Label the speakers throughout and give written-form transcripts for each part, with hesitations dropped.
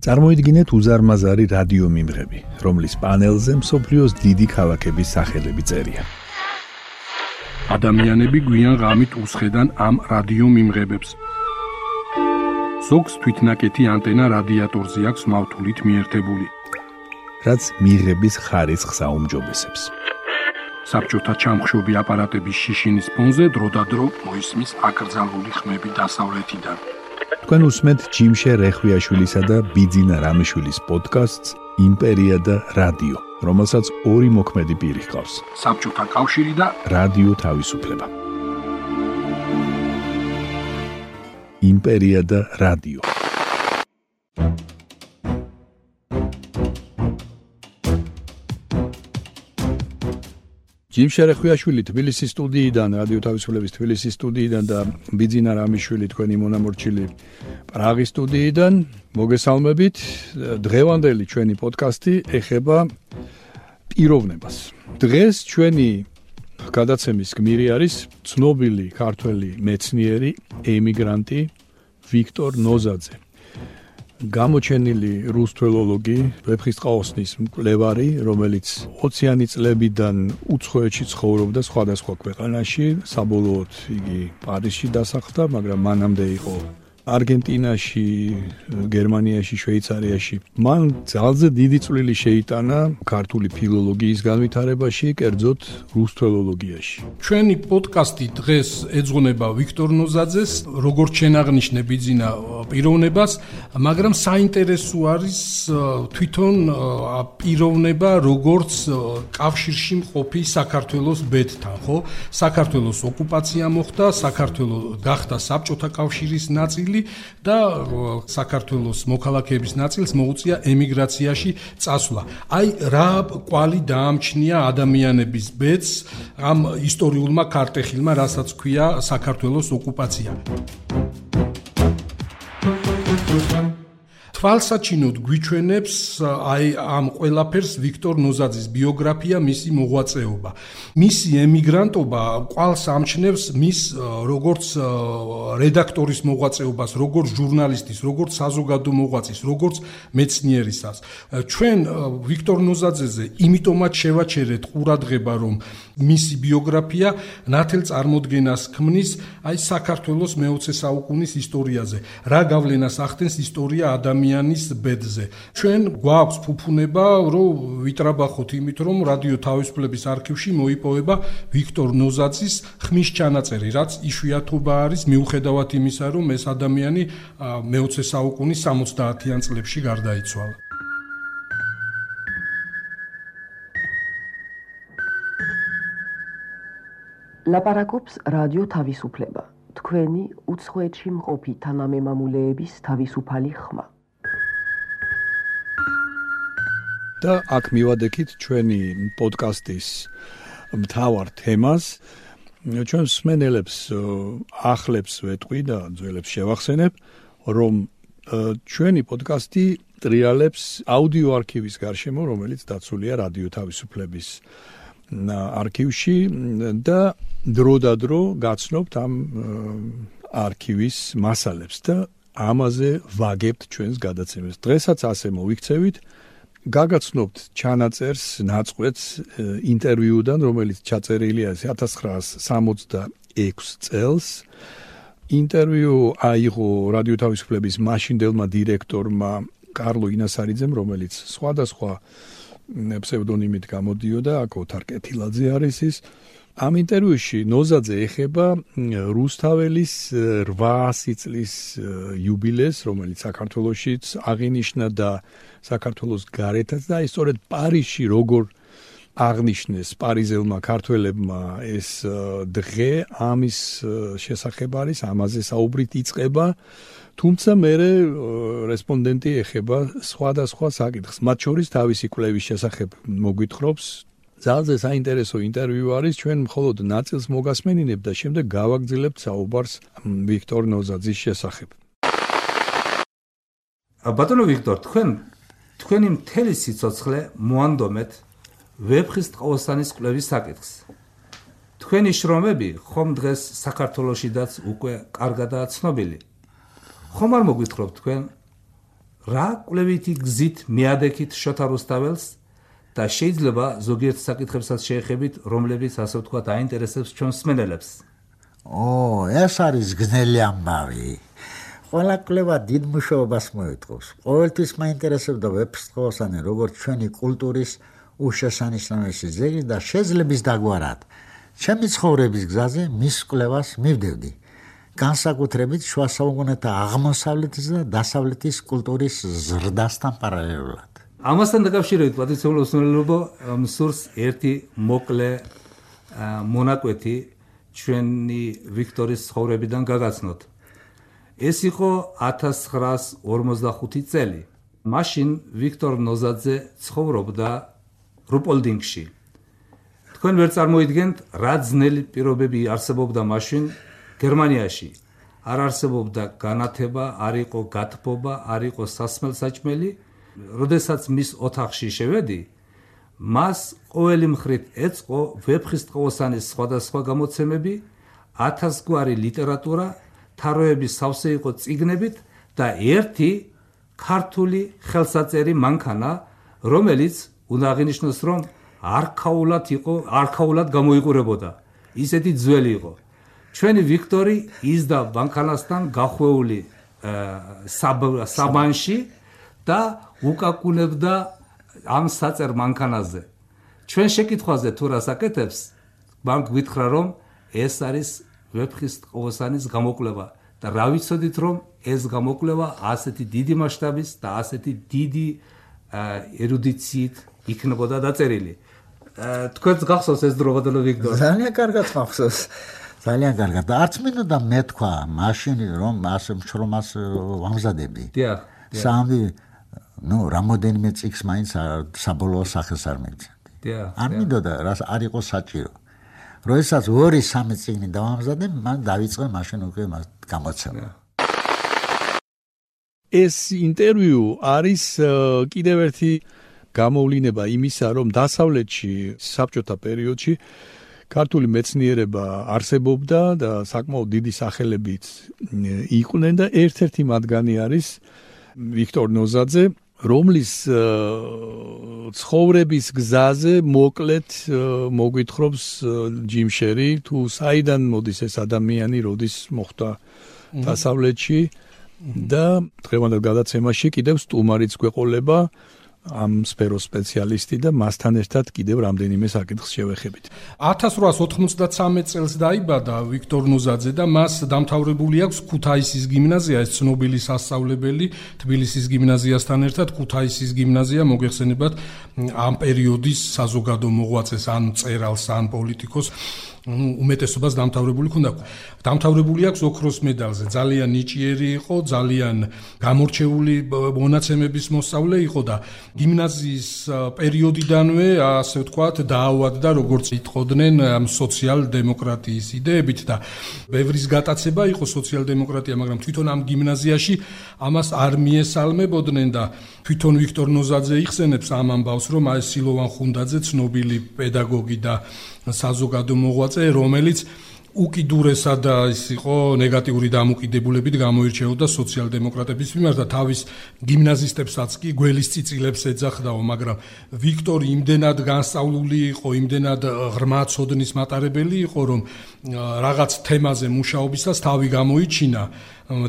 Speaker 1: წარმოიდგინეთ უზარმაზარი რადიო მიმღები, რომლის პანელზე მსოფლიოს დიდი ქალაქების სახელები წერია.
Speaker 2: ადამიანები გვიან ღამით უსხედან ამ რადიო მიმღებებს. ზოგს თვითნაკეთი ანტენა რადიატორზე აქვს მავთულით მიერთებული,
Speaker 1: რაც მიღების ხარისხს აუმჯობესებს.
Speaker 2: საბჭოთა ჩამხშობი აპარატების შიშინის ფონზე დროდადრო მოისმის აკრძალული ხმები დასავლეთიდან.
Speaker 1: თქვენ უსმენთ ჯიმშე რეხვიაშვილისა და ბიძინა რამიშვილის პოდკასტს იმპერია და რადიო, რომელსაც ორი მოქმედი პირი ჰყავს.
Speaker 2: საბჭოთა კავშირი და
Speaker 1: რადიო თავისუფლება. იმპერია და რადიო. ჯიმშე რეხვიაშვილი თბილისის სტუდიიდან, რადიო თავისუფლების თბილისის სტუდიიდან და ბიძინა რამიშვილი თქვენი მონამორჩილი პრაღის სტუდიიდან. მოგესალმებით. დღევანდელი ჩვენი პოდკასტი ეხება პიროვნებას. დღეს ჩვენი გადაცემის გმირი არის ცნობილი ქართველი მეცნიერი, ემიგრანტი ვიქტორ ნოზაძე. გამოჩენილი რუსთველოლოგი, ვეფხისტყაოსნის მკვლევარი, რომელიც 20-იანი წლებიდან უცხოეთში ცხოვრობდა სხვადასხვა ქვეყანაში, საბოლოოდ იგი პარიზში დასახლდა, მაგრამ მანამდე იყო არგენტინაში, გერმანიაში, შვეიცარიაში. მან ძალზე დიდი წვლილი შეიტანა ქართული ფილოლოგიის განვითარებაში, კერძოდ რუსთველოლოგიაში.
Speaker 2: ჩვენი პოდკასტი დღეს ეძღვნება ვიქტორ ნოზაძეს, როგორც შენაღნიშნე ბიძინა პიროვნებას, მაგრამ საინტერესო არის თვითონ პიროვნება, როგორც კავშირში მყოფი საქართველოს ბედთან, ხო? საქართველოს ოკუპაცია მოხდა, საქართველო გახდა საბჭოთა კავშირის ნაწილი და საქართველოს მოქალაქეების ნაწილს მოუწია ემიგრაციაში წასვლა. აი რა კვალი დაამჩნია ადამიანების ბედს ამ ისტორიულმა ქარტეხილმა, რასაც ქვია საქართველოს ოკუპაცია. თვალსაჩინოდ გვიჩვენებს აი ამ ყველაფერს ვიქტორ ნოზაძის ბიოგრაფია, მისი მოღვაწეობა. მისი ემიგრანტობა კვალს ამჩნევს მის როგორც რედაქტორის მოღვაწეობას, როგორც ჟურნალისტის, როგორც საზოგადო მოღვაწის, როგორც მეცნიერისას. ჩვენ ვიქტორ ნოზაძეზე იმიტომაც შევაჩერეთ ყურადღება, რომ მისი ბიოგრაფია ნათელ წარმოდგენას ქმნის აი საქართველოს მე-20 საუკუნის ისტორიაზე. რა გავლენას ახდენს ისტორია ადამიანის ბედზე. ჩვენ გვაქვს ფუფუნება, რომ ვიტრაბახოთ იმით, რომ რადიო თავისუფლების არქივში მოიპოვება ვიქტორ ნოზაძის ხმის ჩანაწერი, რაც იშვიათობა არის მიუხედავად იმისა, რომ ეს ადამიანი მე-20 საუკუნის 70-იან წლებში გარდაიცვალა.
Speaker 3: ლაპარაკობს რადიო თავისუფლება, თქვენი უცხოეთში მყოფი თანამემამულეების თავისუფალი ხმა.
Speaker 1: და აქ მივადექით ჩვენი პოდკასტის მთავარ თემას. ჩვენ მსმენელებს ახლებს ვეტყვი და ძველებს შევახსენებ, რომ ჩვენი პოდკასტი ტრიალებს აუდიო არქივის გარშემო, რომელიც დაცულია რადიო თავისუფლების არქივში და დროდადრო გაცნობთ ამ არქივის მასალებს და ამაზე ვაგებთ ჩვენს გადაცემას. დღესაც ასე მოვიქცევით, გაგაცნობთ ჩანაწერს, ნაწყვეტს ინტერვიუდან, რომელიც ჩაწერილია 1966 წელს. ინტერვიუ აიღო რადიო თავისუფლების მაშინდელმა დირექტორმა კარლო ინასარიძემ, რომელიც სხვადასხვა ფსევდონიმით გამოდიოდა, აქ ოთარ კეთილაძე არის ის. ამ ინტერვიუში ნოზაძე ეხება რუსთაველის 800 წლის იუბილეს, რომელიც საქართველოშიც აღინიშნა და საქართველოს გარეთაც და ისწორედ პარიზში როგორ აღნიშნეს პარიზელმა ქართველებმა ეს დღე, ამის შესახებ არის, ამაზე საუბრით იწყება, თუმცა მერე რესპონდენტი ეხება სხვადასხვა საკითხს, მათ შორის თავისი კვლევის შესახებ მოგვითხრობს. ძალზე საინტერესო ინტერვიუ არის, ჩვენ მხოლოდ ნაწილს მოგასმენინებ და შემდეგ გავაგრძელებთ საუბარს ვიქტორ ნოზაძის შესახებ.
Speaker 4: ბატონო ვიქტორ, თქვენი მთელი სიცოცხლე მოანდომეთ ვეფხისტყაოსანის კვლევის საკითხს. თქვენი შრომები ხომ დღეს საქართველოშიდაც უკვე კარგადაა ცნობილი. ხომ არ მოგვითხრობთ თქვენ რა კვლევითი გზით მიადექით შოთა რუსთაველს და შეიძლება ზოგიერთ საკითხებსაც შეეხებით, რომლებიც ასე ვთქვათ აინტერესებს ჩვენს მსმენელებს.
Speaker 5: ეს არის გზნელი ამბავი. ყველა კვლევა დიდ მუშაობას მოითხოვს. ყოველთვის მაინტერესებდა ვეფხისტყაოსანი როგორც ჩვენი კულტურის უშესანიშნავესი ძეგლი და შეძლების დაგვარად. ჩემი ცხოვრების გზაზე მის კვლევას მივდევდი. განსაკუთრებით შუა საუკუნეთა აღმოსავლეთის და დასავლეთის კულტურის ზრდასთან პარალელურად.
Speaker 4: ამასთან დაკავშირებით პატრიციულ ოსმელობო მსურს ერთი მოკლე მონაკვეთი ჩვენი ვიქტორის ცხოვრებიდან გაგაცნოთ. ეს იყო 1945 წელი. მაშინ ვიქტორ ნოზაძე ცხოვრობდა რუპოლდინგში. თქვენ ვერ წარმოიდგენთ, რა ძნელი პირობები არსებობდა მაშინ გერმანიაში. არ არსებობდა განათება, არ იყო გათბობა, არ იყო სასმელსაჭმელი. როდესაც მის ოთახში შევედი, მას ყოველი მხრით ეწყო ვეფხისტყაოსანის სხვადასხვა გამოცემები, 1000 გვარი ლიტერატურა, თაროების სავსე იყო წიგნებით და ერთი ქართული ხელსაწერი მანქანა, რომელიც უნდა აღინიშნოს, რომ არქაულად გამოიყურებოდა. ისეთი ძველი იყო. ჩვენი ვიქტორი იზდა მანქანასთან გახვეული საბანში და უკაკუნებდა ამ საწერ მანქანაზე. ჩვენ შეკითხვაზე თუ რას აკეთებს, მან გვითხრა, რომ ეს არის ვეფხისტყაოსანის გამოკვლევა და რა ვიცოდით, რომ ეს გამოკვლევა ასეთი დიდი მასშტაბის და ასეთი დიდი ერუდიციით იქნებოდა დაწერილი. თქვენს გახსოვს ეს დრო, ბატონო ვიქტორ?
Speaker 5: ძალიან კარგად მახსოვს. ძალიან კარგად. და არც მინდოდა მეთქვა მაშინ, რომ ასე მშრომას ვამზადები.
Speaker 4: დიახ.
Speaker 5: სამი რამოდენიმე წიგს მაინც საბოლოო სახეს არ მიგზავდი. არ მინდოდა, რას არ იყო საჭირო. როდესაც 2-3 წიგნი დავამზადე, მან დავიწყე მაშინ უკვე გამოცემა.
Speaker 1: ეს ინტერვიუ არის კიდევ ერთი გამოვლინება იმისა, რომ დასავლეთში საბჭოთა პერიოდში ქართული მეცნიერება არსებობდა და საკმაოდ დიდი სახელებიც იყვნენ და ერთ-ერთი მათგანი არის ვიქტორ ნოზაძე, რომლის ცხოვრების გზაზე მოკლედ მოგვითხრობს ჯიმ შერი, თუ საიდან მოდის ეს ადამიანი, როდის მოხვდა დასავლეთში და დღევანდელ გადაცემაში კიდევ სტუმარიც გვეყოლება ამ სფეროს სპეციალისტი და მასთან ერთად კიდევ რამდენიმე საკითხს შევეხებით.
Speaker 2: 1893 წელს დაიბადა ვიქტორ ნოზაძე და მას დამთავრებული აქვს ქუთაისის გიმნაზია, ეს ცნობილი სასწავლებელი თბილისის გიმნაზიასთან ერთად ქუთაისის გიმნაზია მოგეხსენებათ ამ პერიოდის საზოგადო მოღვაწეს, ან მწერალს, ან პოლიტიკოს უმეტესობას დამთავრებული ჰქონდა. დამთავრებული აქვს ოქროს მედალზე. ძალიან ნიჭიერი იყო, ძალიან გამორჩეული მონაცემების მოსწავლე იყო და გიმნაზიის პერიოდიდანვე, ასე ვთქვათ, დაავადდა, როგორც იტყოდნენ, სოციალ-დემოკრატიის იდეებით და ბევრის გატაცება იყო სოციალ-დემოკრატია, მაგრამ თვითონ ამ გიმნაზიაში ამას არ მიესალმებოდნენ და თვითონ ვიქტორ ნოზაძე იხსენებს ამ ამბავს, რომ აი სილოვან ხუნდაძე, ცნობილი პედაგოგი და საზოგადო მოღვაწე, რომელიც უკიდურესად ის იყო ნეგატიური დამოკიდებულებით გამოირჩეოდა სოციალ-დემოკრატების მიმართ და თავის გიმნაზისტებსაც კი გველის წიწილებს ეძახდაო, მაგრამ ვიქტორი იმდენად განსწავლული იყო, იმდენად ღრმა ცოდნის მატარებელი იყო, რომ რაღაც თემაზე მუშაობისას თავი გამოიჩინა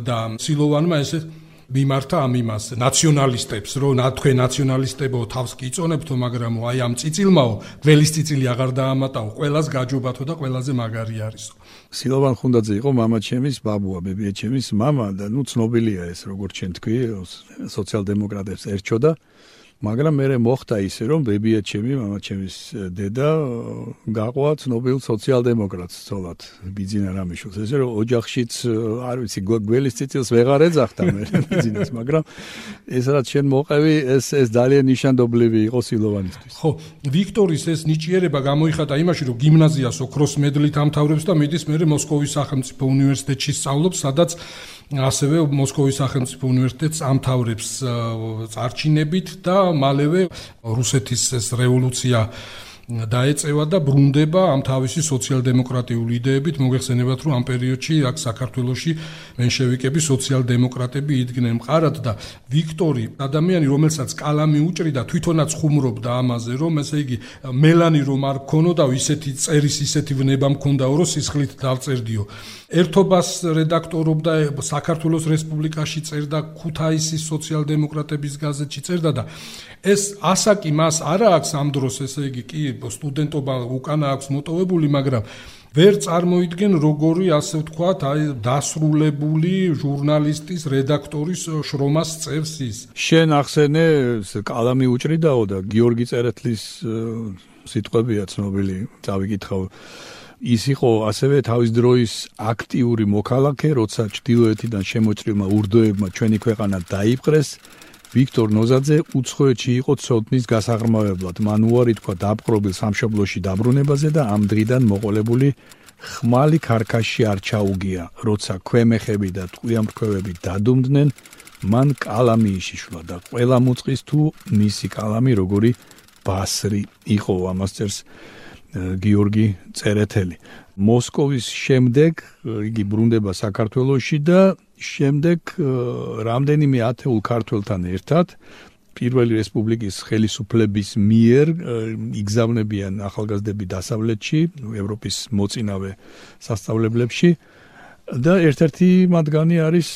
Speaker 2: და სილოვანმა ესე მიმართა ამ იმას ნაციონალისტებს, რომ თქვენ ნაციონალისტებო თავს კი იწონებთო, მაგრამ აი ამ წიწილმაო გველის წიწილი აღარ დაამატაო, ყველას გაჯობათო და ყველაზე მაგარი არისო.
Speaker 1: სილოვან ხუნდაძე იყო მამაჩემის ბაბუა, ბებიაჩემის მამა და ცნობილია ეს, როგორც შენ თქვი, სოციალ-დემოკრატებს ერჩოდა, მაგრამ მე მოხდა ისე, რომ ბებიაჩემი, მამაჩემის დედა გაყვა ცნობილ სოციალ-დემოკრატს ცოლად, ბიძინა რამიშვილს. ესე რომ ოჯახშიც, არ ვიცი, გველის წიწილს ვეღარ ეძახდა მე ბიძინას, მაგრამ ეს რაც შენ მოყევი, ეს ძალიან ნიშანდობლივი იყო სილოვანისთვის.
Speaker 2: ხო, ვიქტორის ეს ნიჭიერება გამოიხატა იმაში, რომ გიმნაზიას ოქროს მედლით ამთავრებს და მიდის მერე მოსკოვის სახელმწიფო უნივერსიტეტში სწავლობს, სადაც ასევე მოსკოვის სახელმწიფო უნივერსიტეტს ამთავრებს წარჩინებით და მალევე რუსეთის ეს რევოლუცია დაეწევა და ბრუნდება ამ თავისი სოციალ-დემოკრატიული იდეებით. მოგეხსენებათ, რომ ამ პერიოდში აქ საქართველოში მენშევიკები, სოციალ-დემოკრატები იდგნენ მყარად და ვიქტორი ადამიანი, რომელსაც კალამი უჭრიდა, თვითონაც ხუმრობდა ამაზე, რომ ესე იგი მელანი რომ არ ქონოდა, ისეთი წერის ისეთი ვნება მქონდაო, რომ სისხლით დავწერდიო. ერთობას რედაქტორობდა საქართველოს რესპუბლიკაში, წერდა ქუთაისის სოციალ-დემოკრატების გაზეთში წერდა და ეს ასაკი მას არა აქვს ამ დროს, ესე იგი კი სტუდენტობა უკანა აქვს მოტოვებული, მაგრამ ვერ წარმოიდგენ როგორი, ასე ვთქვათ, დასრულებული ჟურნალისტის, რედაქტორის შრომას წევს ის.
Speaker 1: შენ ახსენე კალამი უჭრიდაო და გიორგი წერეთლის სიტყვებია ცნობილი, წავიკითხავ. ის იყო ასევე თავის დროის აქტიური მოქალაქე, როცა ჩრდილოეთიდან შემოჭრილმა ურდოებმა ჩვენი ქვეყანა დაიპყრეს. ვიქტორ ნოზაძე უცხოეთში იყო ცოდნის გასაღრმავებლად. მან უარი თქვა დაპყრობილ სამშობლოში დაბრუნებაზე და ამ დღიდან მოყოლებული ხმალი ქარქაში არ ჩაუგია. როცა ქვემეხები და ტყვიამფრქვევები დადუმდნენ, მან კალამი იშიშლა და ყველა მოწყის თუ მისი კალამი როგორი ბასრი იყო, ამას წერს გიორგი წერეთელი. მოსკოვის შემდეგ იგი ბრუნდება საქართველოში და შემდეგ რამდენიმე ათეულ ქართველთან ერთად პირველი რესპუბლიკის ხელისუფლების მიერ იგზავნებიან ახალგაზრდები დასავლეთში, ევროპის მოწინავე სასწავლებლებში და ერთ-ერთი მათგანი არის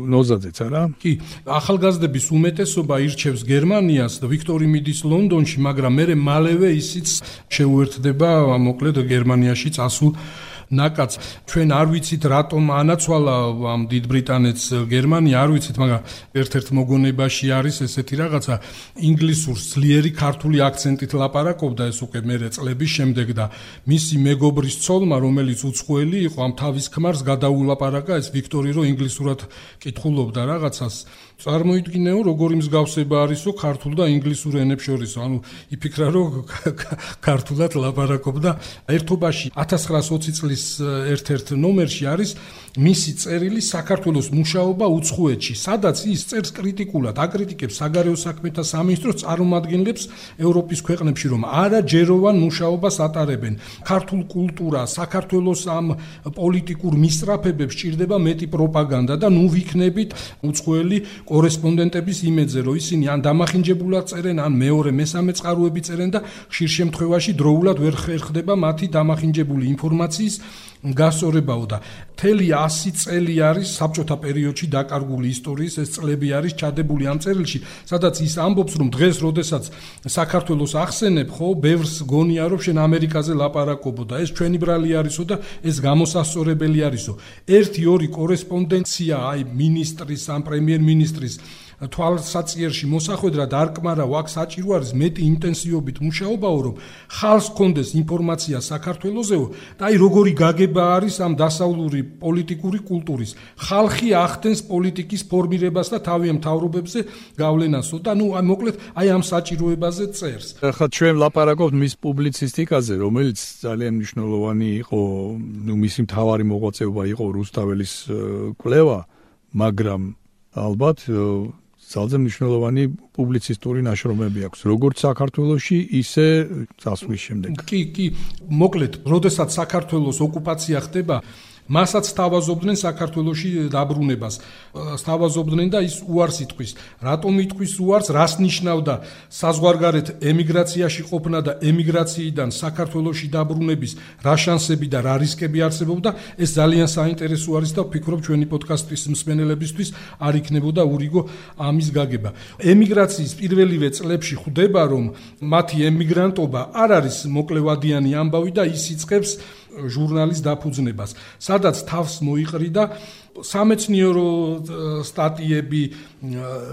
Speaker 1: ნოზაძეც, არა?
Speaker 2: კი, ახალგაზრდების უმეტესობა ირჩევს გერმანიას და ვიქტორი მიდის ლონდონში, მაგრამ მალევე ისიც შეუერთდება მოკლედ გერმანიაში წასულ ნაკაც. ჩვენ არ ვიცით რატომ ანაცვალა ამ დიდ ბრიტანეთს გერმანია, არ ვიცით, მაგრამ ერთ-ერთ მოგონებაში არის ესეთი რაღაცა, ინგლისურს ძლიერი ქართული აქცენტით ლაპარაკობდა ეს უკვე მერე წლების შემდეგ და მისი მეგობრის ცოლმა, რომელიც უცხოელი იყო, ამ თავის ქმარს გადაულაპარაკა ეს ვიქტორი, რომ ინგლისურად კითხულობდა რაღაცას. წარმოიდგინეო, როგორი მსგავსება არისო ქართულ და ინგლისურ ენებს შორისო. ანუ იფიქრა, რომ ქართულად ლაპარაკობდა. ერთობაში 1920 წლის ერთ-ერთ ნომერში არის მისი წერილი საქართველოს მუშაობა უცხოეთში, სადაც ის წერს კრიტიკულად, აკრიტიკებს საგარეო საქმეთა სამინისტროს წარმომადგენლებს ევროპის ქვეყნებში, რომ არაჯეროვან მუშაობას ატარებენ. ქართულ კულტურა, საქართველოს ამ პოლიტიკურ მისწრაფებებს ჭირდება მეტი პროპაგანდა და ნუ ვიქნებით უცხოელი კორესპონდენტების იმედზე, რომ ისინი ან დამახინჯებულად წერენ, ან მეორე, მესამე წყაროები წერენ და ხშირ შემთხვევაში დროულად ვერ ხერხდება მათი დამახინჯებული ინფორმაციის გასწორებაო და მთელი 100 წელი არის საბჭოთა პერიოდში დაკარგული ისტორიის ეს წლები არის ჩადებული ამ წერილში, სადაც ის ამბობს, რომ დღეს, როდესაც საქართველოს ახსენებ, ხო, ბევრს გონია, რომ შენ ამერიკაზე ლაპარაკობო და ეს ჩვენი ბრალი არისო და ეს გამოსასწორებელი არისო. 1-2 კორესპონდენცია, აი მინისტრის, ამ პრემიერ-მინისტრის თვალსაწიერში მოსახვედრად არ კმარავ, აქ საჭირო არის მეტი ინტენსივობით მუშაობაო, რომ ხალხს კონდეს ინფორმაცია საქართველოსეო და აი როგორი გაგება არის ამ დასავლური პოლიტიკური კულტურის. ხალხი ახდენს პოლიტიკის ფორმირებას და თავიანთ მთავრობებზე გავლენასო და ნუ მოკლედ აი ამ საჭიროებაზე წერს.
Speaker 1: ახლა ჩვენ ლაპარაკობთ მის პუბლიცისტიკაზე, რომელიც ძალიან მნიშვნელოვანი იყო, ნუ მისი მთავარი მოღვაწეობა იყო რუსთაველის კვლევა, მაგრამ ალბათ ძალზე მნიშვნელოვანი პუბლიცისტური ნაშრომები აქვს, როგორც საქართველოში, ისე წასვლის შემდეგ.
Speaker 2: კი, მოკლედ, როდესაც საქართველოს ოკუპაცია ხდება, მასაც სთავაზობდნენ საქართველოში დაბრუნებას. სთავაზობდნენ და ის უარს იტყვის. რატომ იტყვის უარს? რას ნიშნავდა საზღვარგარეთ ემიგრაციაში ყოფნა და ემიგრაციიდან საქართველოში დაბრუნების რა შანსები და რა რისკები არსებობდა? ეს ძალიან საინტერესო არის და ვფიქრობ ჩვენი პოდკასტის მსმენელებისთვის არ იქნებოდა ურიგო ამის გაგება. ემიგრაციის პირველივე წლებში ხვდება, რომ მათი ემიგრანტობა არ არის მოკლევადიანი ამბავი და ის იწყებს ჟურნალის დაფუძნებას, სადაც თავს მოიყრიდა სამეცნიერო სტატიები,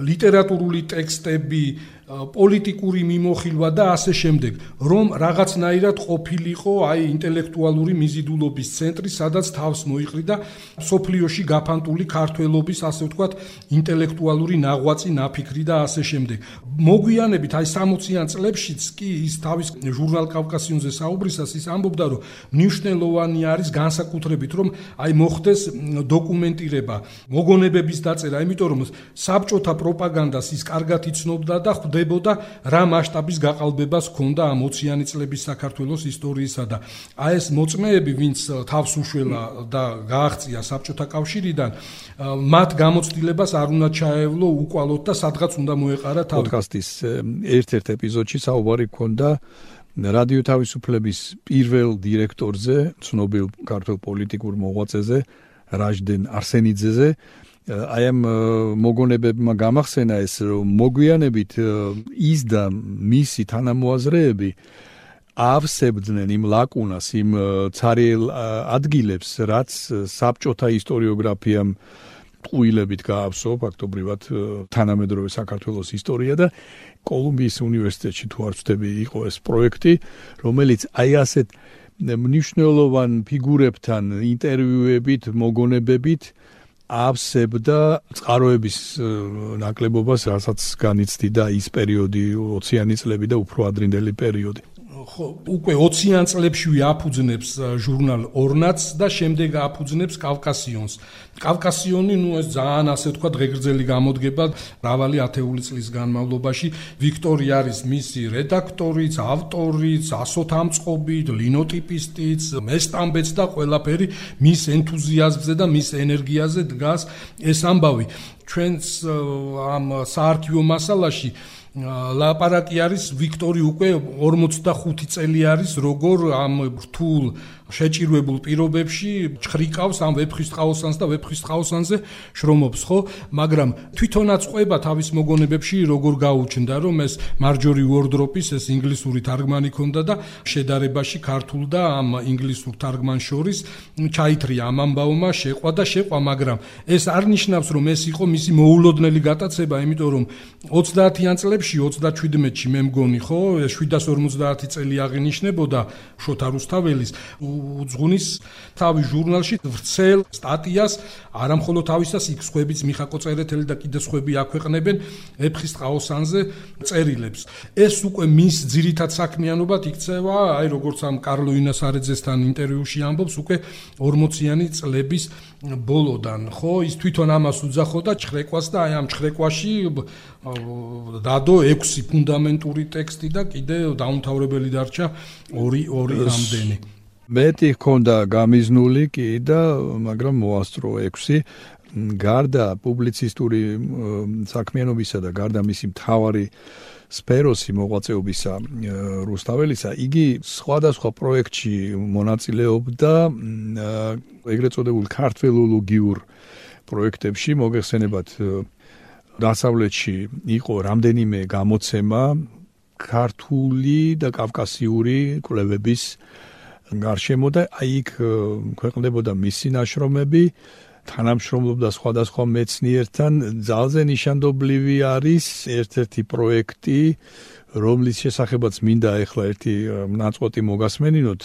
Speaker 2: ლიტერატურული ტექსტები, პოლიტიკური მიმოხილვა და ასე შემდეგ, რომ რაღაცნაირად ყოფილიყო აი ინტელექტუალური მიზიდულობის ცენტრი, სადაც თავს მოიყრიდა სოფლიოში გაფანტული ქართველობის, ასე ვთქვათ, ინტელექტუალური ნაღვაწი, ნაფიქრი და ასე შემდეგ. მოგვიანებით აი 60-იან წლებშიც კი ის თავის ჟურნალ კავკასიონზე საუბრისას ის ამბობდა, რომ მნიშვნელოვანი არის განსაკუთრებით, რომ აი მოხდეს დოკუმენტ დოკუმენტირება, მოგონებების დაწერა, იმიტომ რომ საბჭოთა პროპაგანდას ის კარგად იცნობდა და ხვდებოდა რა მასშტაბის გაყალბებას ჰქონდა ამ 20-იანი წლების საქართველოს ისტორიისა და აი ეს მოწმეები, ვინც თავს უშველა და გააღწია საბჭოთა კავშირიდან, მათ გამოცდილებას არ უნდა ჩაევლო უკვალოდ და სადღაც უნდა მოეყარა თავი.
Speaker 1: პოდკასტის ერთ-ერთ ეპიზოდში საუბარი ჰქონდა რადიო თავისუფლების პირველ დირექტორზე, ცნობილ ქართველ პოლიტიკურ მოღვაწეზე, რაჟდენ არსენიძეზე. აი ამ მოგონებებმა გამახსენა ეს, რომ მოგვიანებით ის და მისი თანამოაზრეები ავსებდნენ იმ ლაკუნას, იმ ცარიელ ადგილებს, რაც საბჭოთა ისტორიოგრაფიამ ყვილებით გაავსო ფაქტობრივად თანამედროვე საქართველოს ისტორია და კოლუმბიის უნივერსიტეტში თუ არ ვცდები იყო ეს პროექტი, რომელიც აი ასეთ მნიშვნელოვან ფიგურებთან ინტერვიუებით, მოგონებებით ავსებდა წყაროების ნაკლებობას, რასაც განიცდიდა ის პერიოდი 20-იანი წლები და უფრო ადრინდელი პერიოდი.
Speaker 2: ხო, უკვე 20-იან წლებში აფუძნებს ჟურნალ ორნაც და შემდეგ აფუძნებს კავკასიონს. კავკასიონი, ეს ძალიან ასე ვთქვათ, ღეგრძელი გამოდგება მრავალი ათეული წლის განმავლობაში. ვიქტორი არის მისი რედაქტორიც, ავტორიც, ასოთამწყობით, ლინოტიპისტიც, მესტამბეც და ყველაფერი მის ენთუზიაზმზე და მის ენერგიაზე დგას ეს ამბავი. ჩვენს ამ საარქივო მასალაში ლაპარაკი არის ვიქტორი უკვე 45 წელი არის როგორ ამ რთულ შეჭირვებულ პირობებში ჩხრიკავს ამ ვეფხისტყაოსანს და ვეფხისტყაოსანზე შრომობს, ხო? მაგრამ თვითონაც ყვება თავის მოგონებებში როგორ გაუჩნდა, რომ ეს მარჯორი უორდროპის ეს ინგლისური თარგმანი ქონდა და შედარებაში ქართულ და ამ ინგლისურ თარგმანს შორის ჩაითრია ამ ამბავმა, შეყვა, მაგრამ ეს არ ნიშნავს, რომ ეს იყო მისი მოულოდნელი გატაცება, იმიტომ რომ 30-იან წლებში 37-ში მე მგონი, ხო, 750 წელი აღინიშნებოდა შოთა რუსთაველის უძღვნის თავის ჟურნალში ვრცელ სტატიას, არამხოლოდ თავისას, იქ სხვებიც მიხაკო წერეთელი და კიდე სხვები აქვეყნებენ ვეფხისტყაოსანზე წერილებს. ეს უკვე მის ძირითად საქმიანობად იქცევა, აი როგორც ამ კარლო ინასარიძესთან ინტერვიუში ამბობს, უკვე 40-იანი წლების ბოლოდან, ხო, ის თვითონ ამას უძახოდა ჩხრეკვას და აი ამ ჩხრეკვაში დადო 6 ფუნდამენტური ტექსტი და კიდე დაუმთავრებელი დარჩა 2 რამდენი.
Speaker 1: მეტი ჰქონდა გამიზნული კი და მაგრამ მოასწრო 6. გარდა პუბლიცისტური საქმიანობისა და გარდა მისი მთავარი სფეროსი მოღვაწეობისა რუსთაველისა, იგი სხვადასხვა პროექტში მონაწილეობდა ეგრეთ წოდებულ ქართველოლოგიურ პროექტებში, მოგეხსენებათ დასავლეთში იყო რამდენიმე გამოცემა ქართული და კავკასიური კვლევების გარშემო და აი იქ ქვეყნდებოდა მისი ნაშრომები, თანამშრომლობდა სხვადასხვა მეცნიერთან. ძალზე ნიშანდობლივი არის ერთ-ერთი პროექტი, რომლის შესახებაც მინდა ახლა ერთი ნაწყვეტი მოგასმენინოთ,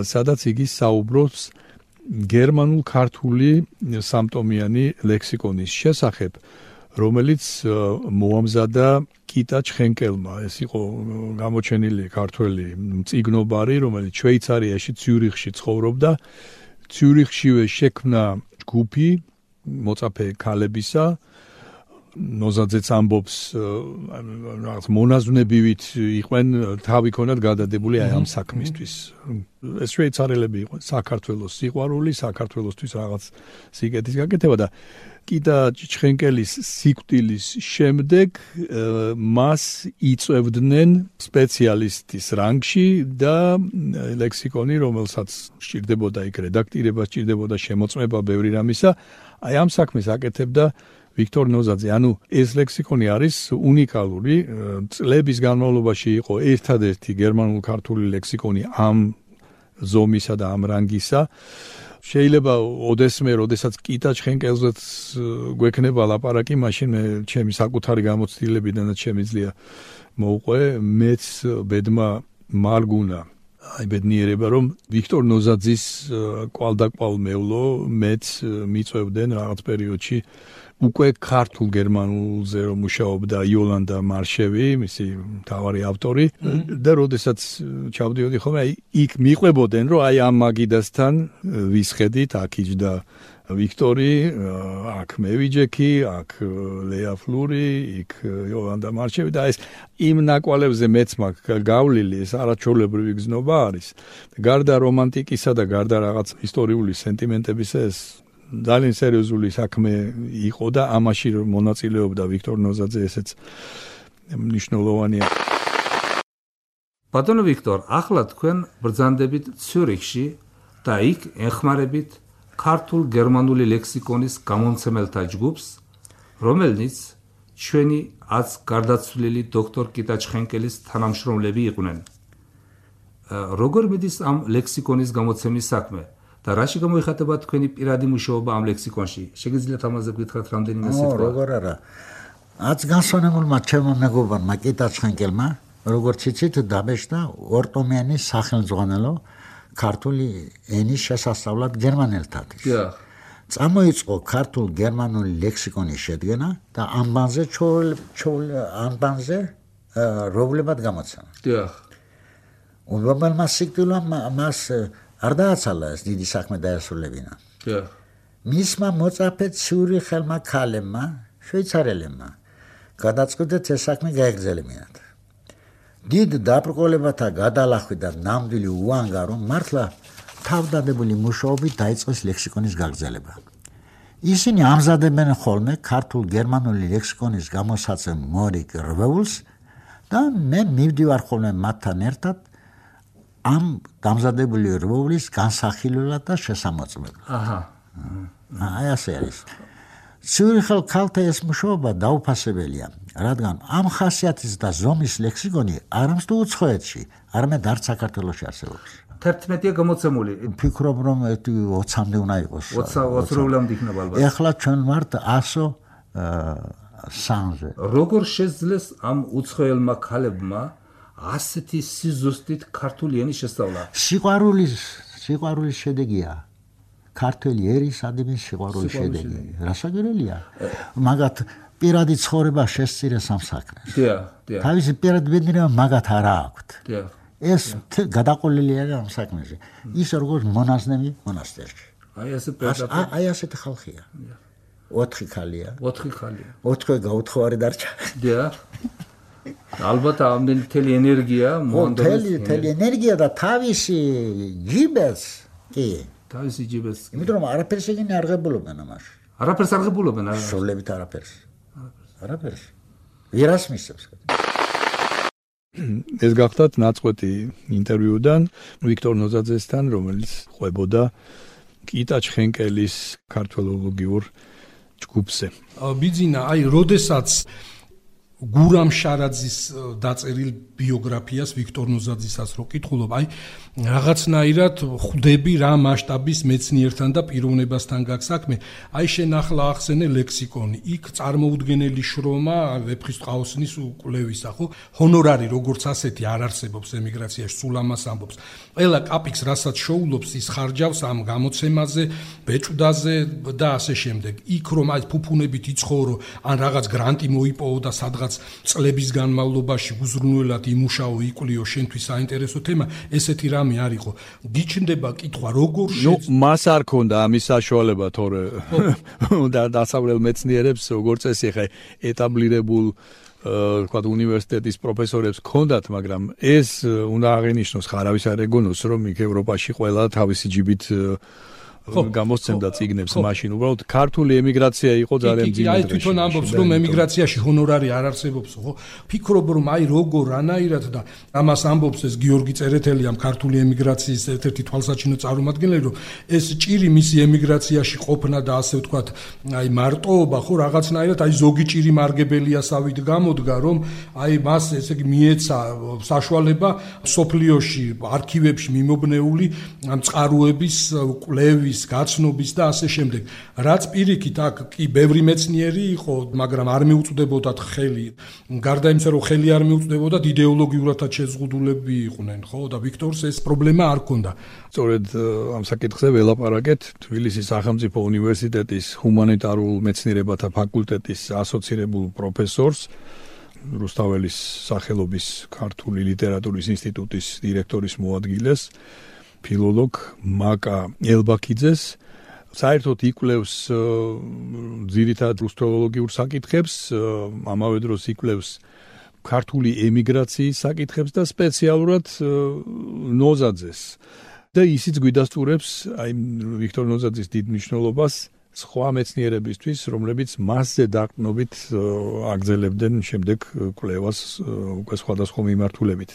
Speaker 1: სადაც იგი საუბრობს გერმანულ-ქართული სამტომიანი ლექსიკონის შესახებ, რომელიც მოამზადა კიტა ჩხენკელმა. ეს იყო გამოჩენილი ქართველი მწიგნობარი, რომელიც შვეიცარიაში ციურიხში ცხოვრობდა. ციურიხშივე შექმნა ჯგუფი მოწაფე ქალებისა. ნოზაძეც ამბობს, რაღაც მონაზვნებივით იყვნენ თავი ქონათ გადადებული აი ამ საქმისთვის. ეს შვეიცარელები იყვნენ საქართველოს სიყვარული, საქართველოსთვის რაღაც სიკეთის გაკეთება და კიტა ჩხენკელის სიკვდილის შემდეგ მას იწევდნენ სპეციალისტის რანგში და ლექსიკონი, რომელსაც სჭირდებოდა იქ რედაქტირება, სჭირდებოდა შემოწმება ბევრი რამისა, აი ამ საქმეს აკეთებდა ვიქტორ ნოზაძე. ანუ ეს ლექსიკონი არის უნიკალური, წლების განმავლობაში იყო ერთადერთი გერმანულ-ქართული ლექსიკონი ამ ზომისა და ამ რანგისა. შეიძლება ოდესმე, როდესაც კიტა ჩხენკელზეც გვექნება ლაპარაკი, მაშინ მე ჩემი საკუთარი გამოცდილებიდან და შემიძლია მოვყვე, მეც ბედმა მარგუნა. აი ბედნიერება, რომ ვიქტორ ნოზაძის კვალდაკვალ მევლო მეც მიწევდნენ რაღაც პერიოდში უკვე ქართულ გერმანულზე რომ მუშაობდა იოლანდა მარშევი, მისი მთავარი ავტორი და როდესაც ჩავდიოდი ხოლმე, აი იქ მიყვებოდნენ, რომ აი ამ მაგიდასთან ვისხედით, აქ იჯდა ვიქტორი, აქ მევიჯექი, აქ ლეა ფლური, იქ იოლანდა მარჩევი და ეს იმ ნაკვალებზე მეც მაქვს გავლილი, ეს არაჩვეულებრივი გზნობა არის. გარდა რომანტიკისა და გარდა რაღაც ისტორიული სენტიმენტების ეს ძალიან სერიოზული საქმე იყო და ამაში მონაწილეობდა ვიქტორ ნოზაძე, ესეც მნიშვნელოვანია.
Speaker 4: ბატონო ვიქტორ, ახლა თქვენ ბრძანდებით ციურიხში და იქ ეხმარებით ქართულ-გერმანული ლექსიკონის გამომცემელთა ჯგუფს, რომელნიც ჩვენი აც გარდაცვლილი დოქტორ კიტა ჩხენკელის თანამშრომლები იყვნენ. როგორ მიდის ამ ლექსიკონის გამოცემის საქმე და რაში გამოიხატება თქვენი პირადი მუშაობა ამ ლექსიკონში? შეგიძლიათ ამაზე გითხრათ რამდენიმე სიტყვა?
Speaker 5: როგორ არა. აც განსვენებულმა ჩემმა მეგობარმა კიტა ჩხენკელმა, როგორც იცით, დაბეჭდა ორტომიანი სახელმძღვანელო ქართული ენის შესასწავლად გერმანელთათვის. წამოიწყო ქართულ-გერმანული ლექსიკონის შედგენა და ამბანზე რომლებად გამოცემა. უმრავლესმა სიკვდილმა მას არ დააცალა ეს დიდი საქმე დაესრულებინა. მისმა მოწაფე ციურიხელმა ქალებმა, შვეიცარელებმა გადაწყვიტეს ეს საქმე გაეგრძელებინათ. დიდ დაბრკოლებათა გადალახვით და ნამდვილი უანგარო მართლა თავდადებული მუშაობით დაიწყეს ლექსიკონის გაგრძელება. ისინი ამზადებენ ხოლმე ქართულ-გერმანული ლექსიკონის გამოსაცემ მორიგ რვეულს და მე მივდივარ ხოლმე მათთან ერთად ამ დამზადებული რვეულის განსახილველად და შესამოწმებლად. აი ასე არის. ციურიხელ ქალთა ეს მუშაობა დაუფასებელია, რადგან ამ ხასიათის და ზომის ლექსიკონი არამს თუ უცხოეთში, არამედ არც საქართველოში არსებობს.
Speaker 4: 11-ია გამოცემული.
Speaker 5: ვფიქრობ, რომ 20-მდე უნდა იყოს.
Speaker 4: 20-ამდე იქნება ალბათ.
Speaker 5: ეხლა ჩვენ ვართ 103-ზე.
Speaker 4: როგორ შეძლეს ამ უცხოელმა ქალებმა ასეთი სიზუსტით ქართული ენის შესწავლა?
Speaker 5: სიყვარულის შედეგია. ქართული ერის ადამიანის სიყვარულის შედეგი. რასაკვირველია? მაგათ პირადი ცხოვრება შესწირეს ამ საქმეს. თავისი პირადი ბედნიერება მაგათ არა აქვთ. ეს გადაყოლილია ამ საქმეზე. ის როგორც მონაზნები მონასტერში. აი ასეთი ხალხია. 4 ხალია. 4 გაუთხოვარი დარჩა.
Speaker 4: ალბათ ამდენი მთელი ენერგია
Speaker 5: მონდომეს. მთელი ენერგია და თავისი ჯიბეს კი.
Speaker 4: თავისი ჯიბეს.
Speaker 5: იმიტომ რომ არაფერს ეგენი არ ღებულობენ ამაში.
Speaker 4: არაფერს არ ღებულობენ?
Speaker 5: სულებით არაფერს. არაფერს. ვერას მისცემს.
Speaker 1: ეს გახდათ ნაწყვეტი ინტერვიუდან ვიქტორ ნოზაძესთან, რომელიც ყვებოდა კიტა ჩხენკელის ქართველოლოგიურ ჯგუფზე.
Speaker 2: ბიძინა, აი, როდესაც გურამ შარაძის დაწერილ ბიოგრაფიას ვიქტორ ნოზაძისას რო კითხულობ, აი რაღაცნაირად ხვდები რა მასშტაბის მეცნიერთან და პიროვნებასთან გაქვს საქმე. აი შენ ახლა ახსენე ლექსიკონი. იქ წარმოუდგენელი შრომა ვეფხისტყაოსნის უკვლევისა, ხო? ჰონორარი როგორც ასეთი არ არსებობს ემიგრაციაში, სულ ამას ამბობს. ყველა კაპიკს რასაც შოულობს ის ხარჯავს ამ გამოცემაზე, ბეჭდაზე და ასე შემდეგ. იქ რომ აი ფუფუნებით იცხოვრო, ან რაღაც გრანტი მოიპოვო და სადღაც წლების განმავლობაში უზრუნველად იმუშაო, იკვლიო შენთვის საინტერესო თემა, ესეთი რამე არ იყო. გიჩნდება კითხვა, როგორ
Speaker 1: მას არ ქონდა ამის საშუალება, თორე და დასავლელ მეცნიერებს როგორც წესი ხე ეტაბლირებულ თქვა უნივერსიტეტის პროფესორებს ქონდათ, მაგრამ ეს უნდა აღინიშნოს, ხარავის არ ეგონოს, რომ იქ ევროპაში ყველა თავისი ჯიბით გამოსცემდა წიგნებს მაშინ. უბრალოდ ქართული ემიგრაცია იყო ძალიან ძლიერი.
Speaker 2: აი თვითონ ამბობს, რომ ემიგრაციაში ჰონორარი არ არსებობს, ხო? ფიქრობ, რომ აი როგორ რანაირად და ამას ამბობს ეს გიორგი წერეთელი ამ ქართული ემიგრაციის ერთ-ერთი თვალსაჩინო წარმომადგენელი, რომ ეს ჭირი მისი ემიგრაციაში ყოფნა და ასე ვთქვათ, აი მარტოობა, ხო, რაღაცნაირად აი ზოგი ჭირი მარგებელიასავით გამოდგა, რომ აი მას ესე იგი მიეცა საშუალება სოფლიოში, არქივებში მიმობნეული ამ წყაროების კვლევის გაცნობის და ასე შემდეგ. რაც პირიქით აქ კი ბევრი მეცნიერი იყო, მაგრამ არ მიუწვდებოდათ ხელი. გარდა იმისა, რომ ხელი არ მიუწვდებოდათ, იდეოლოგიურადაც შეზღუდულები იყვნენ, ხო? და ვიქტორს ეს პრობლემა არ ჰქონდა.
Speaker 1: სწორედ ამ საკითხზე ველაპარაკეთ თბილისის სახელმწიფო უნივერსიტეტის ჰუმანიტარულ მეცნიერებათა ფაკულტეტის ასოცირებულ პროფესორს, რუსთაველის სახელობის ქართული ლიტერატურის ინსტიტუტის დირექტორის მოადგილეს, ფილოლოგ მაკა ელბაქიძეს, საერთოდ იკვლევს ძირითადად რუსთველოლოგიურ საკითხებს, ამავე დროს იკვლევს ქართული ემიგრაციის საკითხებს და სპეციალურად ნოზაძეს. და ისიც გვიდასტურებს აი ვიქტორ ნოზაძის დიდ მნიშვნელობას სხვა მეცნიერებისთვის, რომლებიც მასზე დაყრდნობით აგრძელებდნენ შემდეგ კვლევას უკვე სხვადასხვა მიმართულებით.